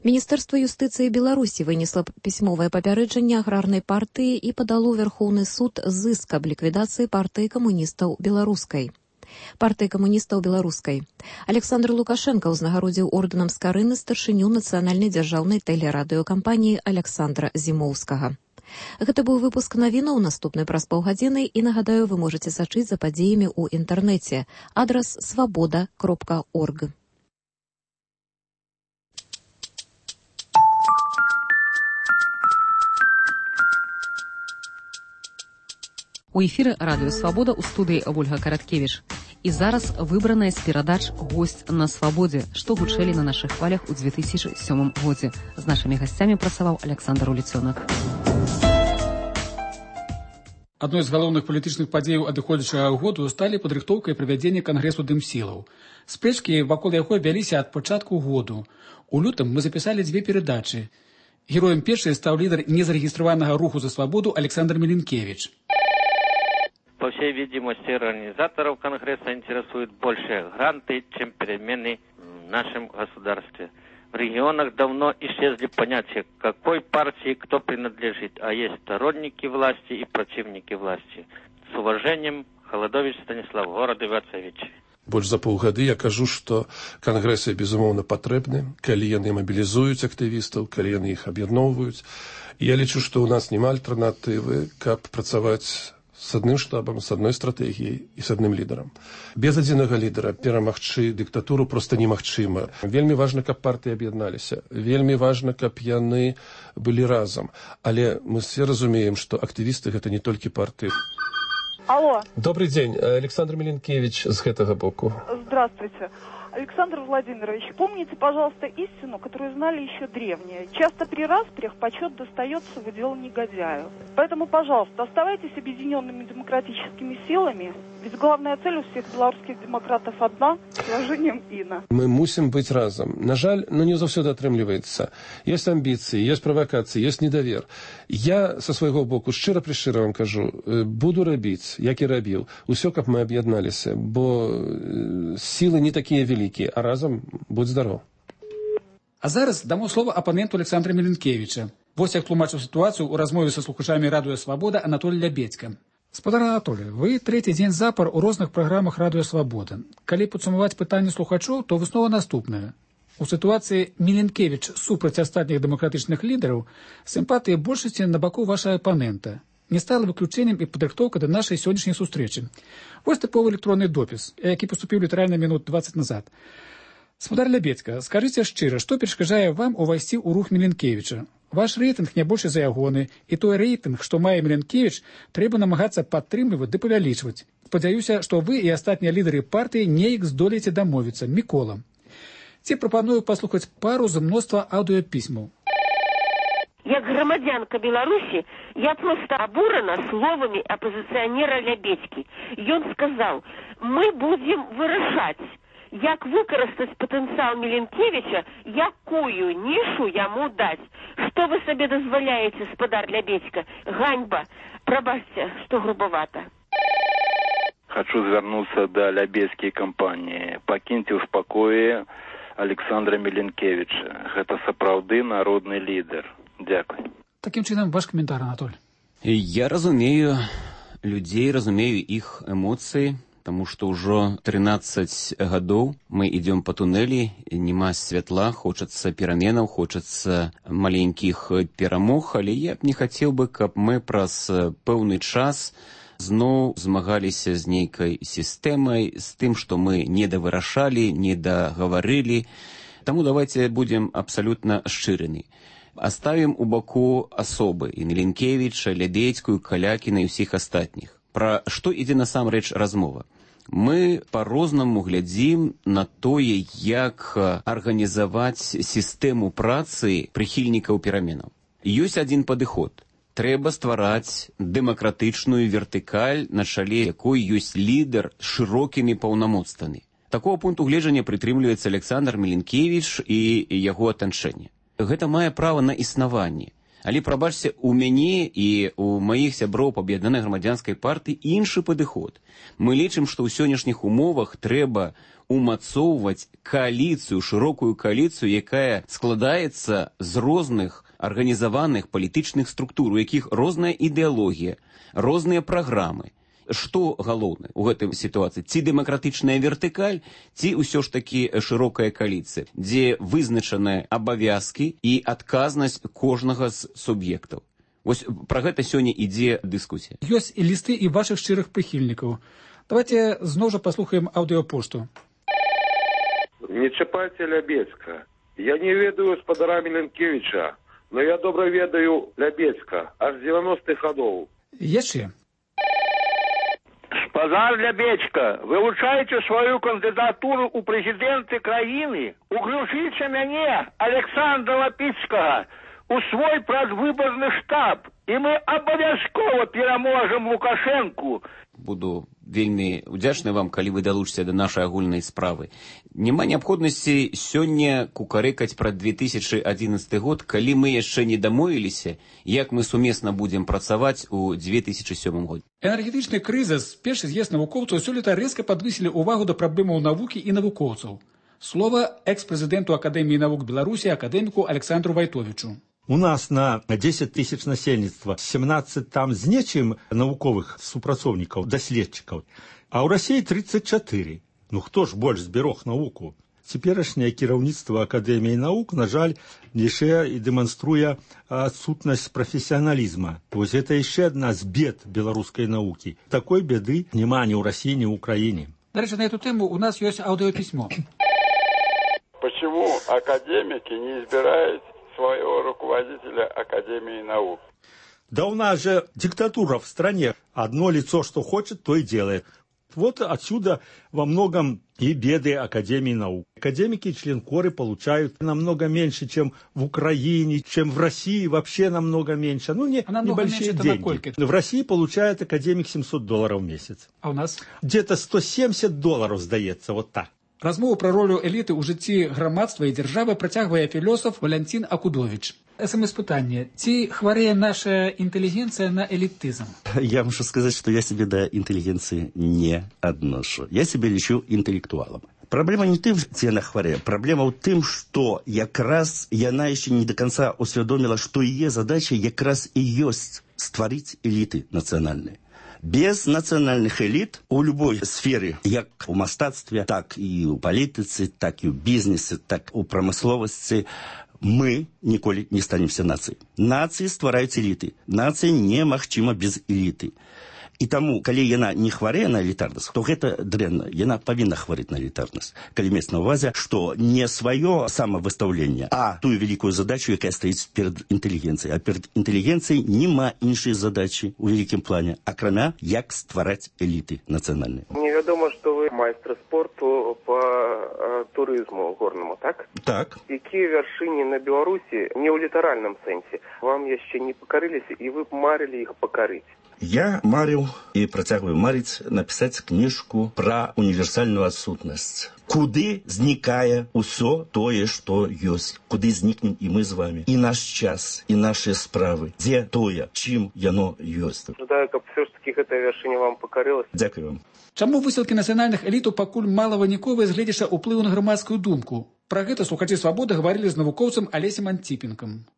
Міністэрства юстыцыі Беларусі вынесла пісьмовае папярэджанне аграрнай партыі і падало Верхоўны суд зыск аб ліквідацыі партыі камуністаў беларускай. Александр Лукашенко ўзнагародзіў ордэнам Скарыны старшыню нацыянальнай дзяржаўнай тэлерадыёкампаніі Александра Зімоўскага. Гэта быў выпуск навінаў, наступны праз паўгадзіны, і, нагадаю, вы можаце сачыць за падзеямі ў інтэрнэце. Адрас свабода.орг. У эфіры радыё «Свабода» ў студыі Ольга Караткевіч. І зараз выбраная з перадач «Госць на свабодзе», што гучэлі на нашых хвалях у 2007 годзе. З нашымі гасцямі працаваў Александр Уліцёнак. Адной з галоўных палітычных падзеяў адыходзячага году сталі падрыхтоўка і правядзенне кангрэсу дымсілаў. Спрэчкі вакол яго вяліся ад пачатку году. У лютым мы запісалі 2 перадачы. Героем першай стаў лідар незарэгістраванага руху за свабоду Александр Меленкевич. По всей видимости, организаторов Конгресса интересуют больше гранты, чем перемены в нашем государстве. В регионах давно исчезли понятия, к какой партии кто принадлежит, а есть сторонники власти и противники власти. С уважением, Холодович Станислав, город Ивацевич. Больш за паўгады я кажу, што кангрэсы, безумоўна, патрэбны, калі яны мабілізуюць актывістаў, калі яны іх аб'ядноўваюць. Я лічу, што ў нас няма альтэрнатывы, каб працаваць с адным штабам, с адной стратэгіяй і с адным лідарам. Без адзінага лідара перамагчы дыктатуру проста немагчыма. Вельмі важна, каб партыі аб'ядналіся. Вельмі важна, каб яны былі разам. Але мы все разумеем, што актывісты гэта не толькі партыі. Алло. Добрый день. Александр Миленкевич с гэтага боку. Здравствуйте. Александр Владимирович, помните, пожалуйста, истину, которую знали еще древние. Часто при распрях почет достается в удел негодяю. Поэтому, пожалуйста, оставайтесь объединенными демократическими силами, ведь главная цель у всех белорусских демократов одна – с уважением Инна. Мы мусим быть разом. На жаль, не заўсёды атрымліваецца. Есть амбиции, есть провокации, есть недовер. Я со свайго боку шчыра-прышчыра вам кажу, буду рабіць, як і рабіў, усё, каб мы аб'ядналіся, бо силы не такія великие. А разом будь здоров. А зараз дамо слово апаненту Александра Миленкевича. Вось як тлумачыў сітуацыю ў размове са слухачамі Радыё Свабода Анатолий Лябедзька. Спадар Анатолий, вы трэці дзень запар у розных праграмах Радыё Свабода. Калі падсумаваць пытанне слухачоў, то выснова наступная. У сітуацыі Миленкевич супраць астатніх дэмакратычных лідараў сімпатыі большасці на баку вашага апанента. Не стала выключэннем і падрыхтоўка да нашай сённяшняй сустрэчы. Вось тыповы электронны допіс, які паступіў літаральна мінут 20 назад. Спадар Лябедзька, скажыце шчыра, што перашкаджае вам увайсці ў рух Миленкевича? Ваш рэйтынг не больш за ягоны, і той рэйтынг, што мае Миленкевич, трэба намагацца падтрымліваць ды павялічваць. Спадзяюся, што вы і астатнія лідары партыі неяк здолееце дамовіцца. Мікола. Ці прапаную паслухаць пару з мноства аўдыёпісьмаў. Як громадянка Беларуси, я просто обурена словами оппозиционера Лябедзькі. Ён сказал, мы будем вырашаць, як выкарыстаць потенциал Миленкевича, якую нишу яму дать. Что вы себе дозволяете, спадар Лябедзька? Ганьба. Прабачьте, что грубовато. Хочу звярнуцца да лябедзькай кампаніі. Пакіньце ў спакоі Александра Миленкевича. Гэта сапраўды народны лідар. Дякую. Таким чынам, ваш комментарий, Анатолий. Я разумею людей, разумею их эмоции, потому что уже 13 годов мы идем по туннелі, нема святла, хочется пераменаў, хочется маленьких перамог, але я б не хотел бы, каб мы праз пэўны час зноў змагаліся з нейкай сістэмай, з тым, што мы не давырашалі, не дагаварылі. Таму давайте будем абсолютно шчырыны. Оставим у баку особы і Миленкевича, Лябедзькую, Калякіна і ўсіх астатніх. Пра што ідзе насамрэч размова? Мы па-рознаму глядзім на тое, як арганізаваць сістэму працы прыхільнікаў пераменаў. Ёсць адзін падыход. Трэба ствараць дэмакратычную вертыкаль, на чале якой ёсць лідар з шырокімі паўнамоцтвамі. Такого пункту гледжання прытрымліваецца Александр Миленкевич і яго атачэнне. Гэта мае права на існаванне. Але, прабачце, у мяне і у маіх сяброў па аб'яднанай грамадзянскай партыі іншы падыход. Мы лічым, што ў сённяшніх умовах трэба умацоўваць кааліцыю, шырокую кааліцыю, якая складаецца з розных арганізаваных палітычных структур, у якіх розная ідэалогія, розныя праграмы. Што галоўнае ў гэтай сітуацыі? Ці дэмакратычная вертыкаль, ці ўсё ж такі шырокая кааліцыя, дзе вызначаныя абавязкі і адказнасць кожнага з суб'ектаў. Вось пра гэта сёння ідзе дыскусія. Ёсць і лісты і вашых шчырых прыхільнікаў. Давайте зноў жа паслухаем аўдыёпошту. Не чапайце Лябедзька. Я не ведаю спадара Миленкевича, но я добра ведаю Лябедзька, аж 90-х гадоў. Яшчэ. Спадар Лябедзька, вылучаеце сваю кандыдатуру ў прэзідэнты краіны, уключыце мяне, Александра Лапіцкага, у свой прадвыбарны штаб, і мы абавязкова пераможам Лукашэнку. Буду вельмі удзячны вам, калі вы далучыце да нашай агульнай справы. Няма неабходнасці сёння кукарэкаць пра 2011 год, калі мы яшчэ не дамовіліся, як мы сумесна будзем працаваць у 2007 годзе. Энергетычны крызіс, першы з'езд навукоўцаў сёлета рэзка падвысілі ўвагу да праблемаў навукі і навукоўцаў. Слова экс-прэзідэнту Акадэміі навук Беларусі, акадэміку Александру Вайтовічу. У нас на 10 тысяч насельніцтва 17 там з нечым навуковых супрацоўнікаў, даследчыкаў, а ў Расіі 34. Ну хто ж больш зберог навуку? Цяперашняе кіраўніцтва Акадэміі навук, на жаль, яшчэ і дэманструе адсутнасць прафесіяналізма. Вось гэта яшчэ адна з бед беларускай навукі. Такой беды няма ні ў Расіі, ні ў Украіне. Дальше на эту тему у нас есть аудиописьмо. Почему академики не избирают своего руководителя Академии наук? Да у нас же диктатура в стране. Одно лицо, что хочет, то и делает. Вот отсюда во многом и беды Академии наук. Академики и членкоры получают намного меньше, чем в Украине, чем в России, вообще намного меньше. Ну, небольшие деньги. В России получает академик $700 в месяц. А у нас? Где-то $170, здаецца, вот так. Размову пра ролю эліты ў жыцці грамадства і дзяржавы працягвае філосаф Валянцін Акудович. СМС-пытанне. Ці хварэе наша интеллигенция на элитизм? Я мушу сказать, что я себе до интеллигенции не отношу. Я себя лечу интеллектуалом. Проблема не тым, ці яна хварэе. Проблема ў тым, што якраз яна яшчэ не до конца усвядомила, што яе задача якраз і ёсць стварыць эліты нацыянальныя. Без национальных элит у любой сферы, як у мастацтве, так і у палітыцы, так і у бізнесе, так у прамысловасці, мы ніколі не станемся нацыяй. Нацыі ствараюць эліты. Нацыя немагчыма без эліты. І таму, калі яна не хварэе на элітарнасць, то гэта дрэнна. Яна павінна хварэць на элітарнасць. Калі мець на ўвазе, што не сваё самавыстаўленне, а тую вялікую задачу, якая стаіць перад інтэлігенцыяй. А перад інтэлігенцыяй няма іншай задачы ў вялікім плане, акрамя як ствараць эліты нацыянальныя. Невядома, што вы майстар спорту по турызму горнаму, так? Так. Якія вяршыні на Беларусі не ў літаральным сэнсе вам яшчэ не пакарыліся, і вы б марылі іх пакарыць? Я марыў і працягваю марыць напісаць кніжку пра універсальную адсутнасць. Куды знікае ўсё тое, што ёсць. Куды знікнем і мы з вами. І наш час, і нашыя справы. Дзе тое, чым яно ёсць. Жадаю, каб все ж таки гэтая вяршыня вам пакарылася. Дзякую вам. Чаму высілкі нацыянальных элітаў пакуль малавыніковыя з гледзяча ўплыву на грамадскую думку? Пра гэта слухачы «Свабоды» гаварылі з навукоўцам Алесем Антипенком.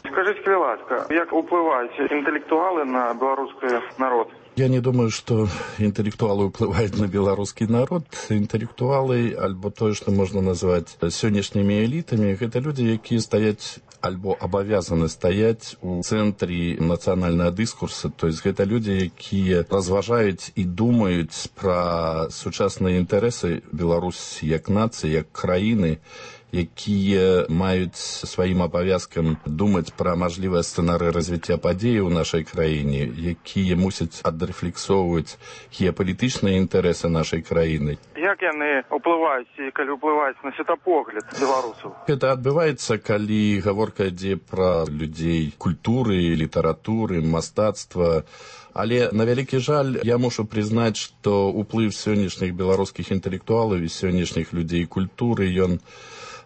Скажите, будь ласка, як уплывают интеллектуалы на белорусский народ? Я не думаю, что интеллектуалы уплывают на белорусский народ. Интеллектуалы, альбо то, что можно назвать сённяшнімі элитами, это люди, якія стаяць альбо абавязаны стаяць у цэнтры нацыянальнага дыскурса. То есть это люди, якія разважаюць і думаюць пра сучасныя інтарэсы Беларусі як нацыі, як краіны, якія маюць сваім абавязкам думаць пра мажлівыя сцэнарыі развіцця падзей у нашай краіне, якія мусяць адрэфлексоўваць геапалітычныя інтарэсы нашай краіны. Як яны ўплываюць і калі ўплываюць на светапогляд беларусаў? Гэта адбываецца, калі гаворка ідзе пра людзей культуры, літаратуры, мастацтва. Але, на вялікі жаль, я мушу прызнаць, што ўплыў сённяшніх беларускіх інтэлектуалаў і сённяшніх людзей культуры, ён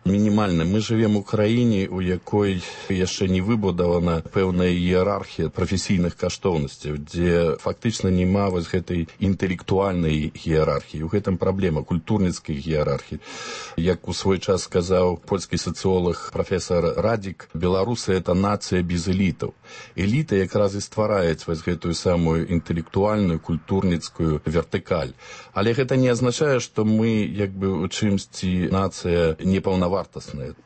мінімальны. Мы жывем у краіне, у якой яшчэ не выбудавана пэўная іерархія прафесійных каштоўнасцяў, дзе фактычна няма вось гэтай інтэлектуальнай іерархіі. У гэтым праблема культурніцкай іерархіі. Як у свой час сказаў польскі сацыолог прафесор Радзік, беларусы — это нацыя без элітаў. Эліта якраз і ствараюць вось гэтую самую інтэлектуальную, культурніцкую вертыкаль. Але гэта не азначае, што мы як бы у чымсьці нацыя непаўнавартасная.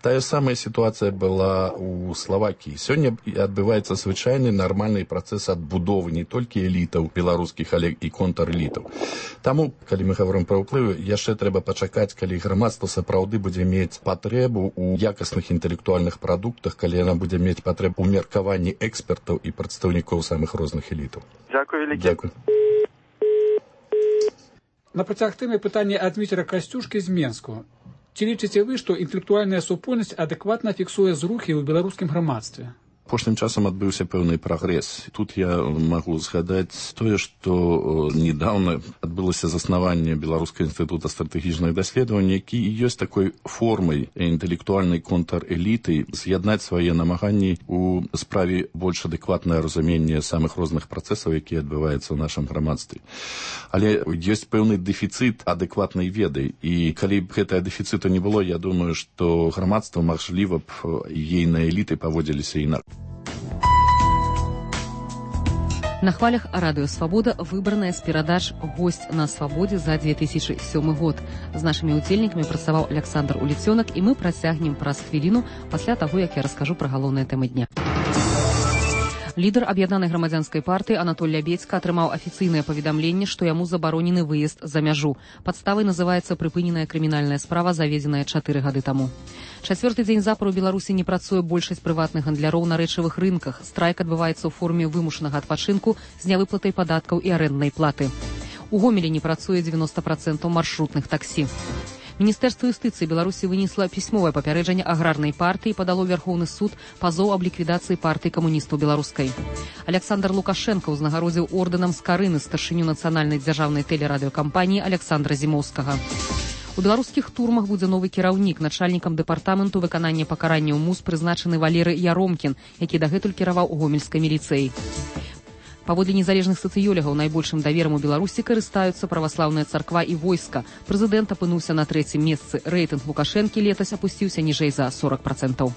Тая самая сітуацыя была у Словакіі. Сёння адбываецца звычайны нармальны працэс адбудовы не толькі элітаў беларускіх, але і контрэлітаў. Таму, калі мы гаворым пра ўплывы, яшчэ трэба пачакаць, калі грамадства сапраўды будзе мець патрэбу ў якасных інтэлектуальных прадуктах, калі яна будзе мець патрэбу ў меркаванні экспертаў і прадстаўнікоў самых розных элітаў. Дзякуй вялікі. Дзякуй. На працяг тэмы пытанне ад Дмітра Касцюшкі з Менску. Ці лічыце вы, што інтэлектуальная супольнасць адэкватна фіксуе зрухі ў беларускім грамадстве? Апошнім часам адбыўся пэўны прагрэс. Тут я магу згадаць тое, што недавно адбылося заснаванне Беларускага інстытута стратэгічных даследаванняў, які і ёсць такой формай інтэлектуальнай контрэліты з'яднаць свае намаганні ў справе больш адэкватнае разуменне самых розных працэсаў, якія адбываюцца ў нашым грамадстве. Але ёсць пэўны дэфіцыт адэкватнай веды, і калі б гэтага дэфіцыту не было, я думаю, што грамадства, мажліва б, ейныя эліты паводзіліся інакш. На хвалях радыё «Свабода» выбраная з перадач «Госць на свабодзе» за 2007 год. З нашымі удзельнікамі працаваў Александр Уліцёнак, і мы працягнем праз хвіліну пасля таго, як я раскажу пра галоўныя тэмы дня. Лідар аб'яднанай грамадзянскай партыі Анатоль Лябедзька атрымаў афіцыйнае паведамленне, што яму забаронены выезд за мяжу. Падставай называецца прыпыненая крымінальная справа, заведзеная 4 гады таму. Чацвёрты дзень запар у Беларусі не працуе большасць прыватных гандляроў на рэчавых рынках. Страйк адбываецца ў форме вымушанага адпачынку з нявыплатай падаткаў і арэнднай платы. У Гомелі не працуе 90% маршрутных таксі. Міністэрства юстыцыі Беларусі вынесла пісьмовае папярэджанне аграрнай партыі і падало Вярхоўны суд пазоў аб ліквідацыі партыі камуністаў беларускай. Александр Лукашенко ўзнагародзіў ордэнам скарыны старшыню нацыянальнай дзяржаўнай тэлерадыёкампаніі Александра Зімоўскага. У беларускіх турмах будзе новы кіраўнік. Начальнікам дэпартаменту выканання пакаранняў МУС прызначаны Валеры Яромкін, які дагэтуль кіраваў гомельскай міліцыяй. Паводле незалежных сацыёлагаў найбольшым даверам у Беларусі карыстаюцца праваслаўная царква і войска. Прэзідэнт апынуўся на 3-м месцы. Рэйтынг Лукашэнкі летась апусціўся ніжэй за 40%.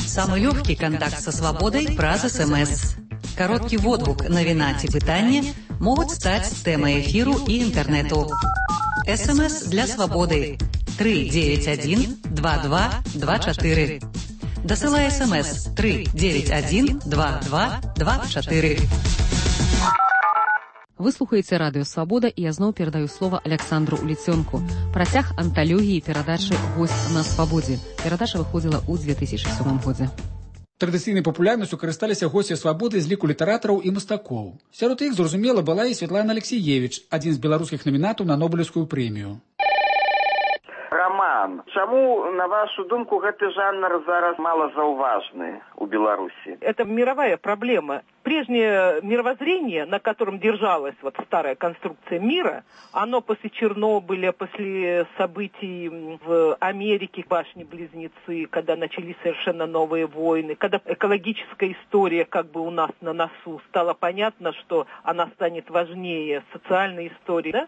Самый легкий контакт со свободой праз СМС. Короткий водгук, навіна ці пытанне могуць стаць тэмай эфіру і інтэрнэту. СМС для свободы 391-2224. Дасылай СМС 391-2224. Вы слухаеце радыё «Свабода», і я зноў перадаю слова Александру Уліцёнку. Працяг анталогіі перадачы «Госць на свабодзе». Перадача выходзіла ў 2007 годзе. Традыцыйнай папулярнасцю карысталіся госці свабоды з ліку літаратараў і мастакоў. Сярод іх, зразумела, была і Святлана Алексіевіч, адзін з беларускіх намінатаў на Нобелеўскую прэмію. Роман, чаму, на вашу думку, гэты жанр зараз малозауважны у Беларуси? Это мировая проблема. Прежнее мировоззрение, на котором держалась вот старая конструкция мира, оно после Чернобыля, после событий в Америке, башни-близнецы, когда начались совершенно новые войны, когда экологическая история как бы у нас на носу, стало понятно, что она станет важнее социальной истории, да?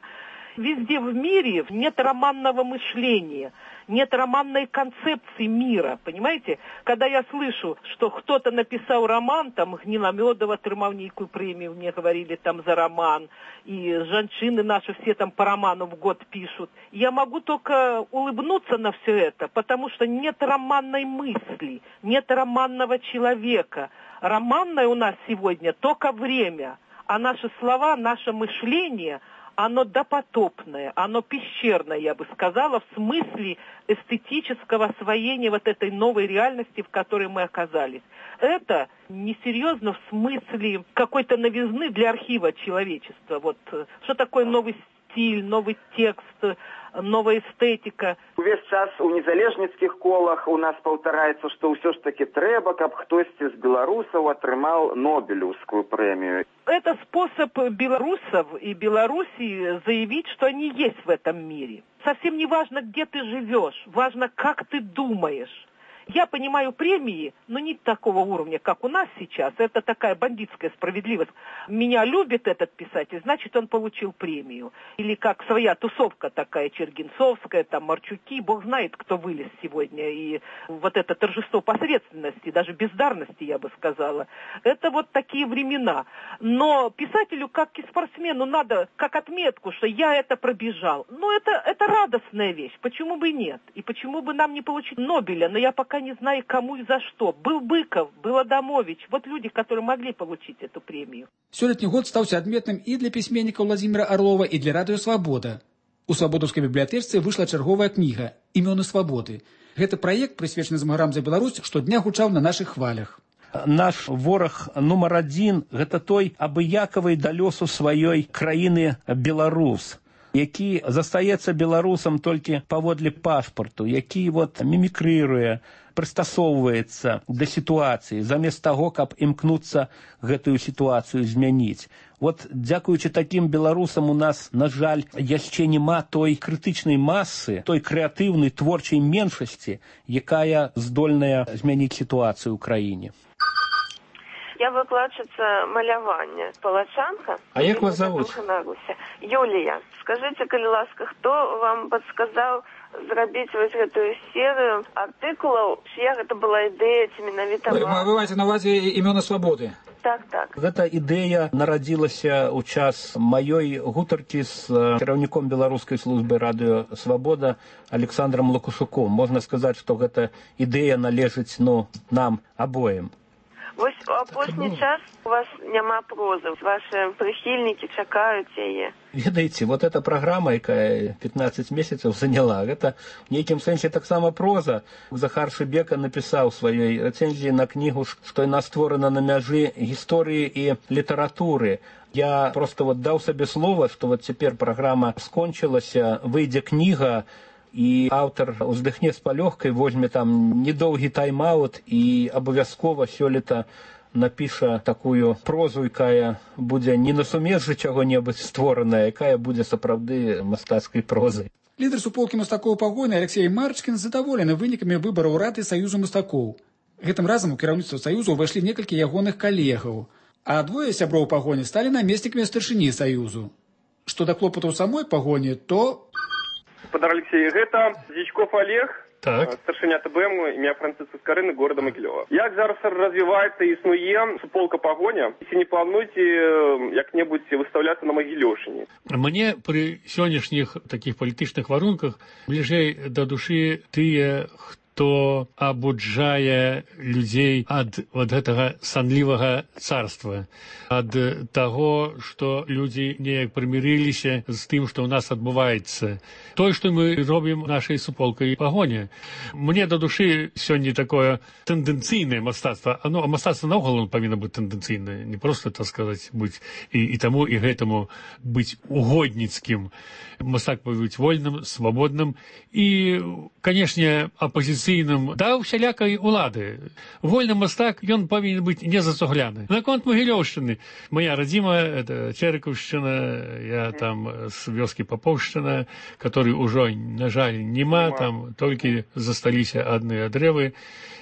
Везде в мире нет романного мышления, нет романной концепции мира, понимаете? Когда я слышу, что кто-то написал роман, там Гниломедов отрымал некую премию, мне говорили там за роман, и женщины наши все там по роману в год пишут, я могу только улыбнуться на все это, потому что нет романной мысли, нет романного человека. Романное у нас сегодня только время, а наши слова, наше мышление – оно допотопное, оно пещерное, я бы сказала, в смысле эстетического освоения вот этой новой реальности, в которой мы оказались. Это несерьезно в смысле какой-то новизны для архива человечества. Вот что такое новый стиль, новый текст, новая эстетика. Увесь час у незалежніцкіх колах у нас паўтараецца, што ўсё ж таки трэба, каб хтосьці з беларусаў атрымаў Нобелевскую премию. Это способ белорусов и Белоруссии заявить, что они есть в этом мире. Совсем не важно, где ты живешь, важно, как ты думаешь. Я понимаю премии, но не такого уровня, как у нас сейчас. Это такая бандитская справедливость. Меня любит этот писатель, значит, он получил премию. Или как своя тусовка такая, Чергинцовская, там, Марчуки. Бог знает, кто вылез сегодня. И вот это торжество посредственности, даже бездарности, я бы сказала. Это вот такие времена. Но писателю, как и спортсмену, надо как отметку, что я это пробежал. Ну, это радостная вещь. Почему бы и нет? И почему бы нам не получить Нобеля? Но я пока не знаю, кому и за что. Был Быков, был Адамович. Вот люди, которые могли получить эту премию. Сёлетні год стаўся адметным і для пісьменніка Владзіміра Арлова, і для радыё «Свабода». У свабодаўскай бібліятэчцы выйшла чарговая кніга «Імёны свабоды». Гэты праект, прысвечаны змагарам за Беларусь, штодня гучаў на нашых хвалях. Наш вораг нумар адзін – гэта той абыякавы да лёсу сваёй краіны беларус, які застаецца беларусам толькі паводле пашпарту, які мімікрыруе, прыстасоўваецца да сітуацыі, замест таго, каб імкнуцца гэтую сітуацыю змяніць. Дзякуючы такім беларусам у нас, на жаль, яшчэ няма той крытычнай масы, той крэатыўнай творчай меншасці, якая здольная змяніць сітуацыю ў краіне. Я выкладчица малявання, палачанка. А як вас зовут? Юлія. Скажите, калі ласка, хто вам подсказал зрабіць вось гэтую серыю артыкулаў, чья гэта была ідэя, ці менавіта вам? Вы маеце на ўвазе «Імёны свабоды»? Так. Гэта ідэя нарадзілася ў час маёй гутаркі з кіраўніком беларускай службы радыё «Свабода» Александром Лукашуком. Можна сказаць, што гэта ідэя належыць нам абоім. Вось у апошні час у вас няма прозы. Ваши прихильники чакаюць яе. Ведаеце, вот эта программа, якая 15 месяцев заняла, это в неким сенсе таксама проза. Захар Шыбека написал в своей рецензии на книгу, что она створена на мяжы истории и литературы. Я просто вот дал себе слово, что вот теперь программа скончилась, выйдзе книга, и автор уздыхне с палёгкай, возьме там недолгі тайм-аут и абавязкова сёлета напіша такую прозу, якая будзе не на сумежжы чаго-небудзь створаная, якая будзе сапраўды мастацкай прозай. Лідар суполкі мастакоў пагоны Алексей Марчкін задаволены вынікамі выбараў рады Саюзу мастакоў. Гэтым разам у кіраўніцтва Саюзу ўвайшлі некалькі ягоных калегаў, а двое сяброў пагоні сталі намеснікамі старшыні Саюзу. Што да клопатаў самой пагоні, то... Господар Алексей, гэта Дзічков Олег, так. Старшыня ТБМ, імя Францыска Скарыны, города Магілёва. Як зараз развіваецца і існуе суполка пагоня, ці не плануеце як-небудзь выстаўляцца на Магілёўшчыне? Мне пры сённяшніх такіх палітычных варунках бліжэй да душы тыя, хто абуджае людзей ад вот гэтага санлівага царства, ад таго, што людзі неяк прымірыліся з тым, што ў нас адбываецца. Той, што мы робім нашай суполкай пагоне. Мне да душы сёння такое тэндэнцыйнае мастацтва. А мастацтва наогул павінна быць тэндэнцыйнае, не проста, так сказаць, быць і таму, і гэтаму быць угодніцкім. Мастак павінен быць вольным, свабодным і, канешне, апазіцыйным да ўсялякай улады. Вольны мастак, ён павінен быць не зацугляны. Наконт Магілёўшчыны. Моя радзіма, это Чэрыкаўшчына, я там з вёскі Папоўшчына, который ўжо, на жаль, нема, там толькі засталіся адныя дрэвы.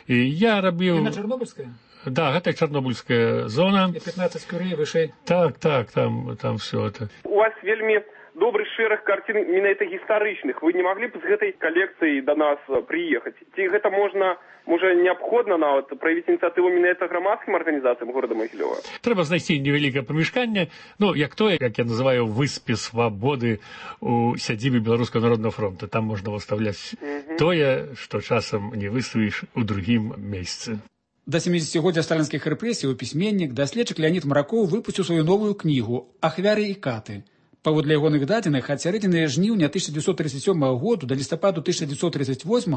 І я рабіў... Яна Чарнобыльская? Да, гэта Чарнобыльская зона. 15 кюрэй вышэй. Так, там все это. У вас вельмі добрый шэраг карцін менавіта гістарычных. Вы не маглі б з гэтай калекцыяй да нас прыехаць? Ці гэта можа неабходна нават праявіць ініцыятыву менавіта грамадскім арганізацыям горада Магілёва? Трэба знайсці невялікае памяшканне, як тое, як я называю, выспе свабоды у сядзібе Беларускага народнага фронта. Там можна выставляць тое, што часам не выставіш у другім месцы. Да 70-годдзя сталінскіх рэпрэсій пісьменнік, даследчык Леонід Маракоў выпусціў сваю новую кнігу «Ахвяры і каты». Паводле ягоных дадзеных, ад сярэдзіны жніўня 1937 году да лістападу 1938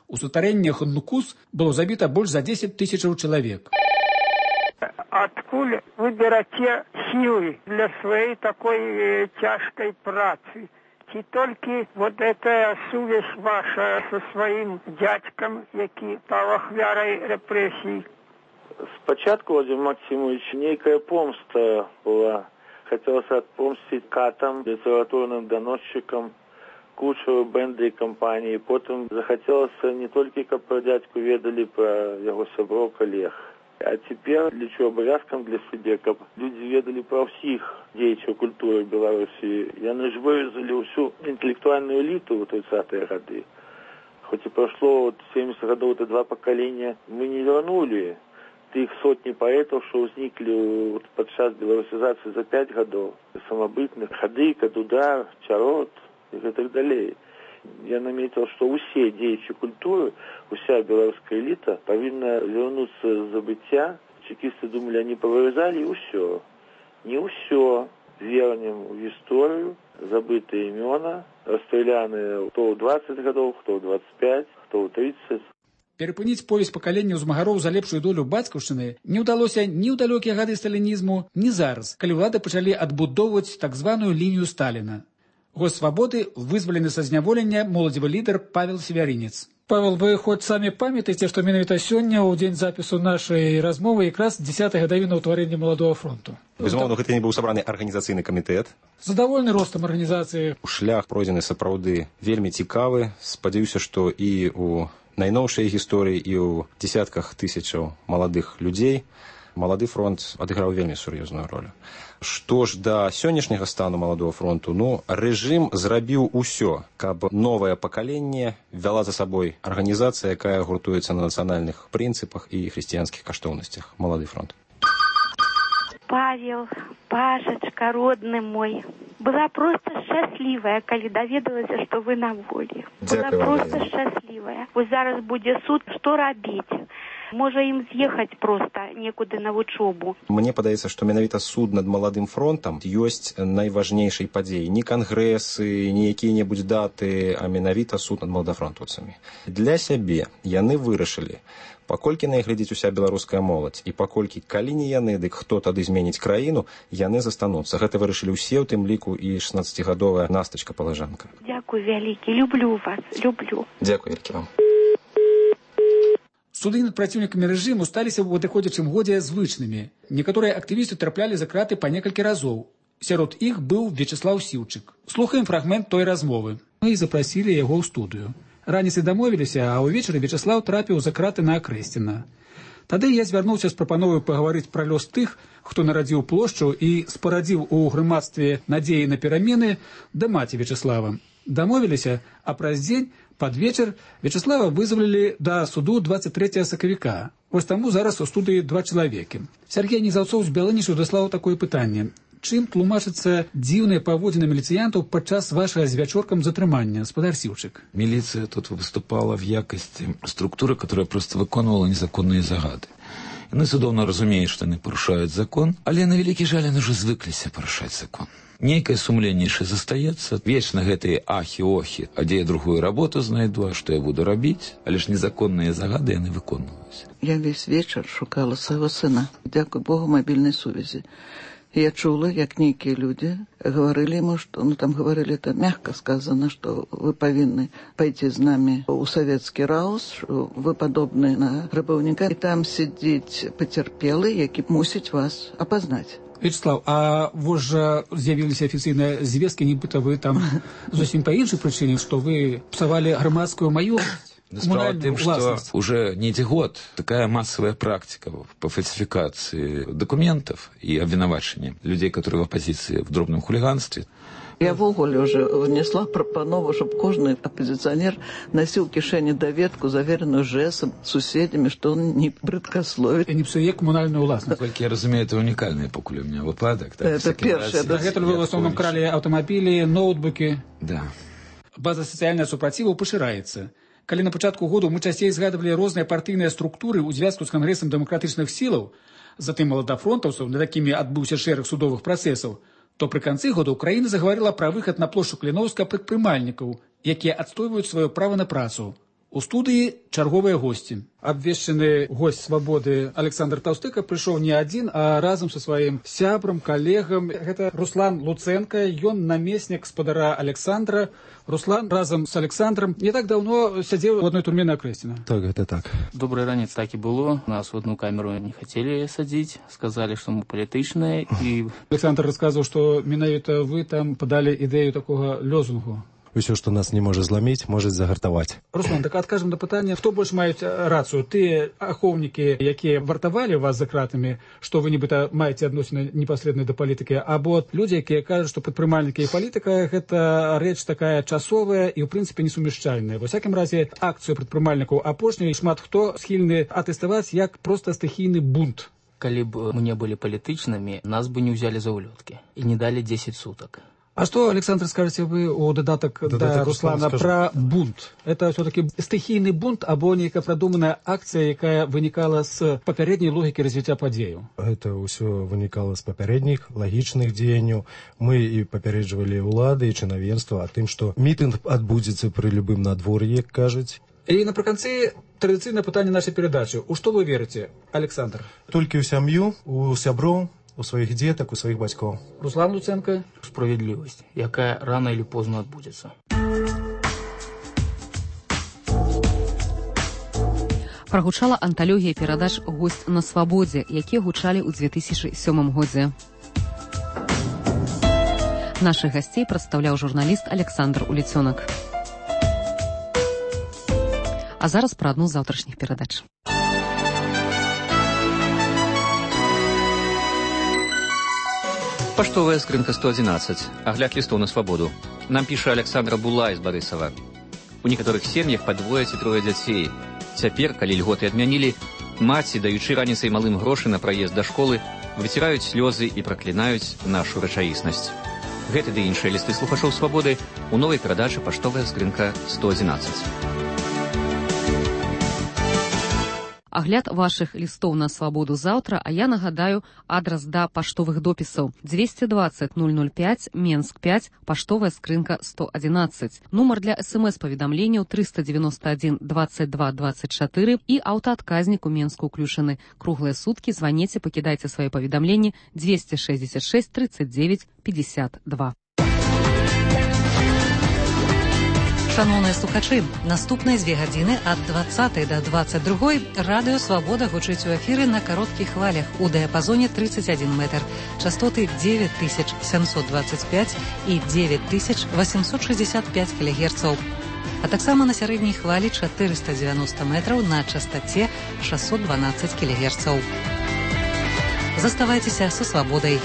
у сутарэннях Нукус было забіта больш за 10 тысячаў чалавек. Адкуль вы бераце сілы для сваёй такой цяжкай працы? Ці толькі вот эта сувязь ваша со сваім дзядзькам, які стаў ахвярай рэпрэсій? Спачатку, Владимир Максимович, нейкая помста была. Хотелось отпомстить катам, литературным доносчикам, Кучеру, Бенда и компании. Потом захотелось не только, как про дядьку ведали, про его сяброў, коллег. А теперь лічу обовязком для себе, как люди ведали про всех деятелей культуры Беларуси. Яны ж вырезали всю интеллектуальную элиту в 30-е годы. Хоть и прошло 70 годов, это 2 поколения, мы не вернули тых сотни поэтов, что возникли подчас белорусизации за 5 годов, самобытных, Хадыка, Дудар, Чарот и так далее. Я наметил, что все деятели культуры, вся белорусская элита повинна вернуться с забытия. Чекисты думали, они повырезали, и все. Не все. Вернем в историю забытые имена, расстреляны кто в 20 годов, кто в 25, кто в 30. Перапыніць повесць пакаленняў змагароў за лепшую долю бацькаўшчыны не ўдалося ні ў далёкія гады сталінізму, ні зараз, калі ўлады пачалі адбудоўваць так званую лінію Сталіна. Гость свабоды, вызвалены са зняволення моладзевы лідар Павел Севярінец. Павел, вы хоць самі памятаеце, што менавіта сёння, ў дзень запісу нашай размовы, якраз 10-я гадавіна ўтварэння Маладога фронту. Безумоўна, гэта не быў сабраны арганізацыйны камітэт. Задавольны ростам арганізацыі. Шлях пройдзены сапраўды вельмі цікавы. Спадзяюся, што і ў найноўшай гісторыі, і ў дзесятках тысячаў маладых людзей Малады фронт адыграў вельмі сур'ёзную ролю. Што ж да сённяшняга стану Маладога фронту, рэжым зрабіў усё, каб новае пакаленне вяла за сабой арганізацыя, якая гуртуецца на нацыянальных прынцыпах і хрысціянскіх каштоўнасцях. Малады фронт. Павел, Пашачка, родны мой, была просто счастлівая, калі даведалася, што вы на волі. Была просто счастлівая. Вось зараз будзе суд, што рабіць? Можа ім з'ехаць проста некуды на вучобу. Мне падаецца, што менавіта суд над маладым фронтам ёсць найважнейшай падзеяй. Не кангрэсы, не якія-небудзь даты, а менавіта суд над маладафронтаўцамі. Для сябе яны вырашылі, паколькі на іх глядзіць уся беларуская моладзь, і паколькі, калі не яны, дык хто тады зменіць краіну, яны застануцца. Гэта вырашылі ўсе, у тым ліку і 16-гадовая Настачка Палажанка. Дзякуй вялікі, люблю вас, люблю. Дзякуй вялікі вам. Суды над праціўнікамі рэжыму сталіся ў адыходзячым годзе звычнымі. Некаторыя актывісты траплялі за краты па некалькі разоў. Сярод іх быў Вячеслаў Сіўчык. Слухаем фрагмент той размовы. Мы запрасілі яго ў студыю. Раніцай дамовіліся, а ўвечары Вячеслаў трапіў за краты на Акрэсціна. Тады я звярнуўся з прапановай пагаварыць пра лёс тых, хто нарадзіў плошчу і спарадзіў у грамадстве надзеі на перамены да маці Вячеслава. Дамовіліся, а праз дзень, пад вечар, Вячеслава вызвалілі да суду 23 сакавіка. Вось таму зараз у студыі 2 чалавекі. Сяргей Незаўцоў з Бяланішу даслаў такое пытанне. Чым тлумачыцца дзіўныя паводзіны міліцыянтаў падчас вашага з вячоркам затрымання, гаспадар Сіўчык? Милиция тут выступала в якости структуры, которая просто выконывала незаконные загады. Яны цудоўна разумеюць, што яны парушаюць закон, але на вялікі жаль яны ўжо звыкліся парушаць закон. Нейкае сумленне яшчэ застаецца, вечна гэтыя ахі-охі, а дзе я другую работу знайду, а што я буду рабіць, але ж незаконныя загады яны выконваюць. Я весь вечар шукала свайго сына, дзякуй Богу, мабільнай сувязі. Я чула, як нейкія людзі гаварылі яму, што, там гаварылі, это мягка сказано, што вы павінны пайти з намі ў савецкі раус, вы падобны на грабаўніка, і там сидзіць пацярпелы, які мусіць вас апазнаць. Вячеслав, а вось жа з'явіліся афіцыйныя звесткі, нібыта вы там зусім па іншай прычыне, што вы псавалі грамадскую маёмасць. Справа в том, что уже не год такая массовая практика по фальсификации документов и обвинувачения людей, которые в оппозиции в дробном хулиганстве. Я в ogóle уже внесла пропанову, чтобы каждый оппозиционер носил в кишени доведку, заверенную ЖЭСом, суседями, что он не брыдкословит. И не псуе коммунальную властность. Насколько я разумею, это уникальный покуль у меня выпадок. Это первое. Это вы в основном крали автомобили, ноутбуки. Да. База социального супротиву поширается. Калі на пачатку году мы часцей згадывалі розныя партыйныя структуры ў звязку з кангрэсам дэмакратычных сілаў, затым маладафронтаўцаў, над якімі адбыўся шэраг судовых працэсаў, то пры канцы года Украіна загаварыла пра выхад на плошчу Кліноўска прадпрымальнікаў, якія адстойваюць сваё права на працу. У студыі чарговыя госці. Абвешчаны госць свабоды Александр Таўстыка прыйшоў не адзін, а разам са сваім сябрам, калегам. Гэта Руслан Луценка, ён намеснік спадара Александра. Руслан разам з Александром не так даўно сядзеў у адной турме на Акрэсціна. Так, гэта так. Добрый ранец так і было. Нас в одну камеру не хацелі садзіць, сказалі, што мы палітычныя. І... Александр расказваў, што менавіта вы там падалі ідэю такога лёзунгу. Усё, што нас не можа зламіць, можа загартаваць. Руслан, так адкажам на пытанне, хто больш маюць рацыю? Тыя ахоўнікі, якія вартавалі вас за кратамі, што вы нібыта маеце адносіны непасрэдна да палітыкі, або людзі, якія кажуць, што прадпрымальнікі і палітыка гэта рэч такая часовая і ў прынцыпе несумяшчальная. Ва ўсякім разе акцыю прадпрымальнікаў апошняй шмат хто схільны атэставаць як проста стыхійны бунт. Калі б мы не былі палітычнымі, нас бы не ўзялі за ўлёткі і не далі 10 сутак. А что, Александр, скажете вы у додаток да Руслана про бунт? Это все-таки стихийный бунт, або некая продуманная акция, якая вынікала з папярэдняй логікі развіцця падзеяў? Это ўсё вынікала з папярэдніх лагічных дзеянняў. Мы і папярэджвалі ўлады і чынавенства о тым, што мітынг адбудзецца пры любым надвор'і, як кажуць. І напрыканцы традыцыйнае пытанне нашай перадачы. У што вы верыце, Александр? Толькі ў сям'ю, у сяброў, у сваіх дзетак, у сваіх бацькоў. Руслан Луценко. Справядлівасць, якая рано или поздно адбудзецца. Прагучала анталогія перадач «Госць на свабодзе», якія гучалі ў 2007 годзе. Нашых гасцей прадстаўляў журналіст Александр Уліцёнак. А зараз пра адну з заўтрашніх перадач. Паштовая скрынка 111. Агляд лістоў на свабоду. Нам піша Александра Булай з Барысава. У некаторых сем'ях па 2 ці 3 дзяцей. Цяпер, калі льготы адмянілі, маці, даючы раніцай малым грошы на праезд да школы, выціраюць слёзы і праклінаюць нашу рэчаіснасць. Гэты ды іншыя лісты слухачоў свабоды у новай перадачы «Паштовая скрынка 111». Агляд вашых лістоў на свабоду заўтра, а я нагадаю адрас да паштовых допісаў. 220 005, Менск 5, паштовая скрынка 111. Нумар для СМС-паведамленняў 391 22 24 і аўтаадказнік у Менску ўключаны. Круглыя суткі, званіце, пакідайце свае паведамленні 266 39 52. Шановныя слухачы, наступныя 2 гадзіны ад 20 до 22 радыё «Свабода» гучыць у эфіры на кароткіх хвалях у дыяпазоне 31 метр, частоты 9725 і 9865 кГц, а таксама на сярэдняй хвалі 490 метраў на частаце 612 кГц. Заставайцеся са «Свабодай».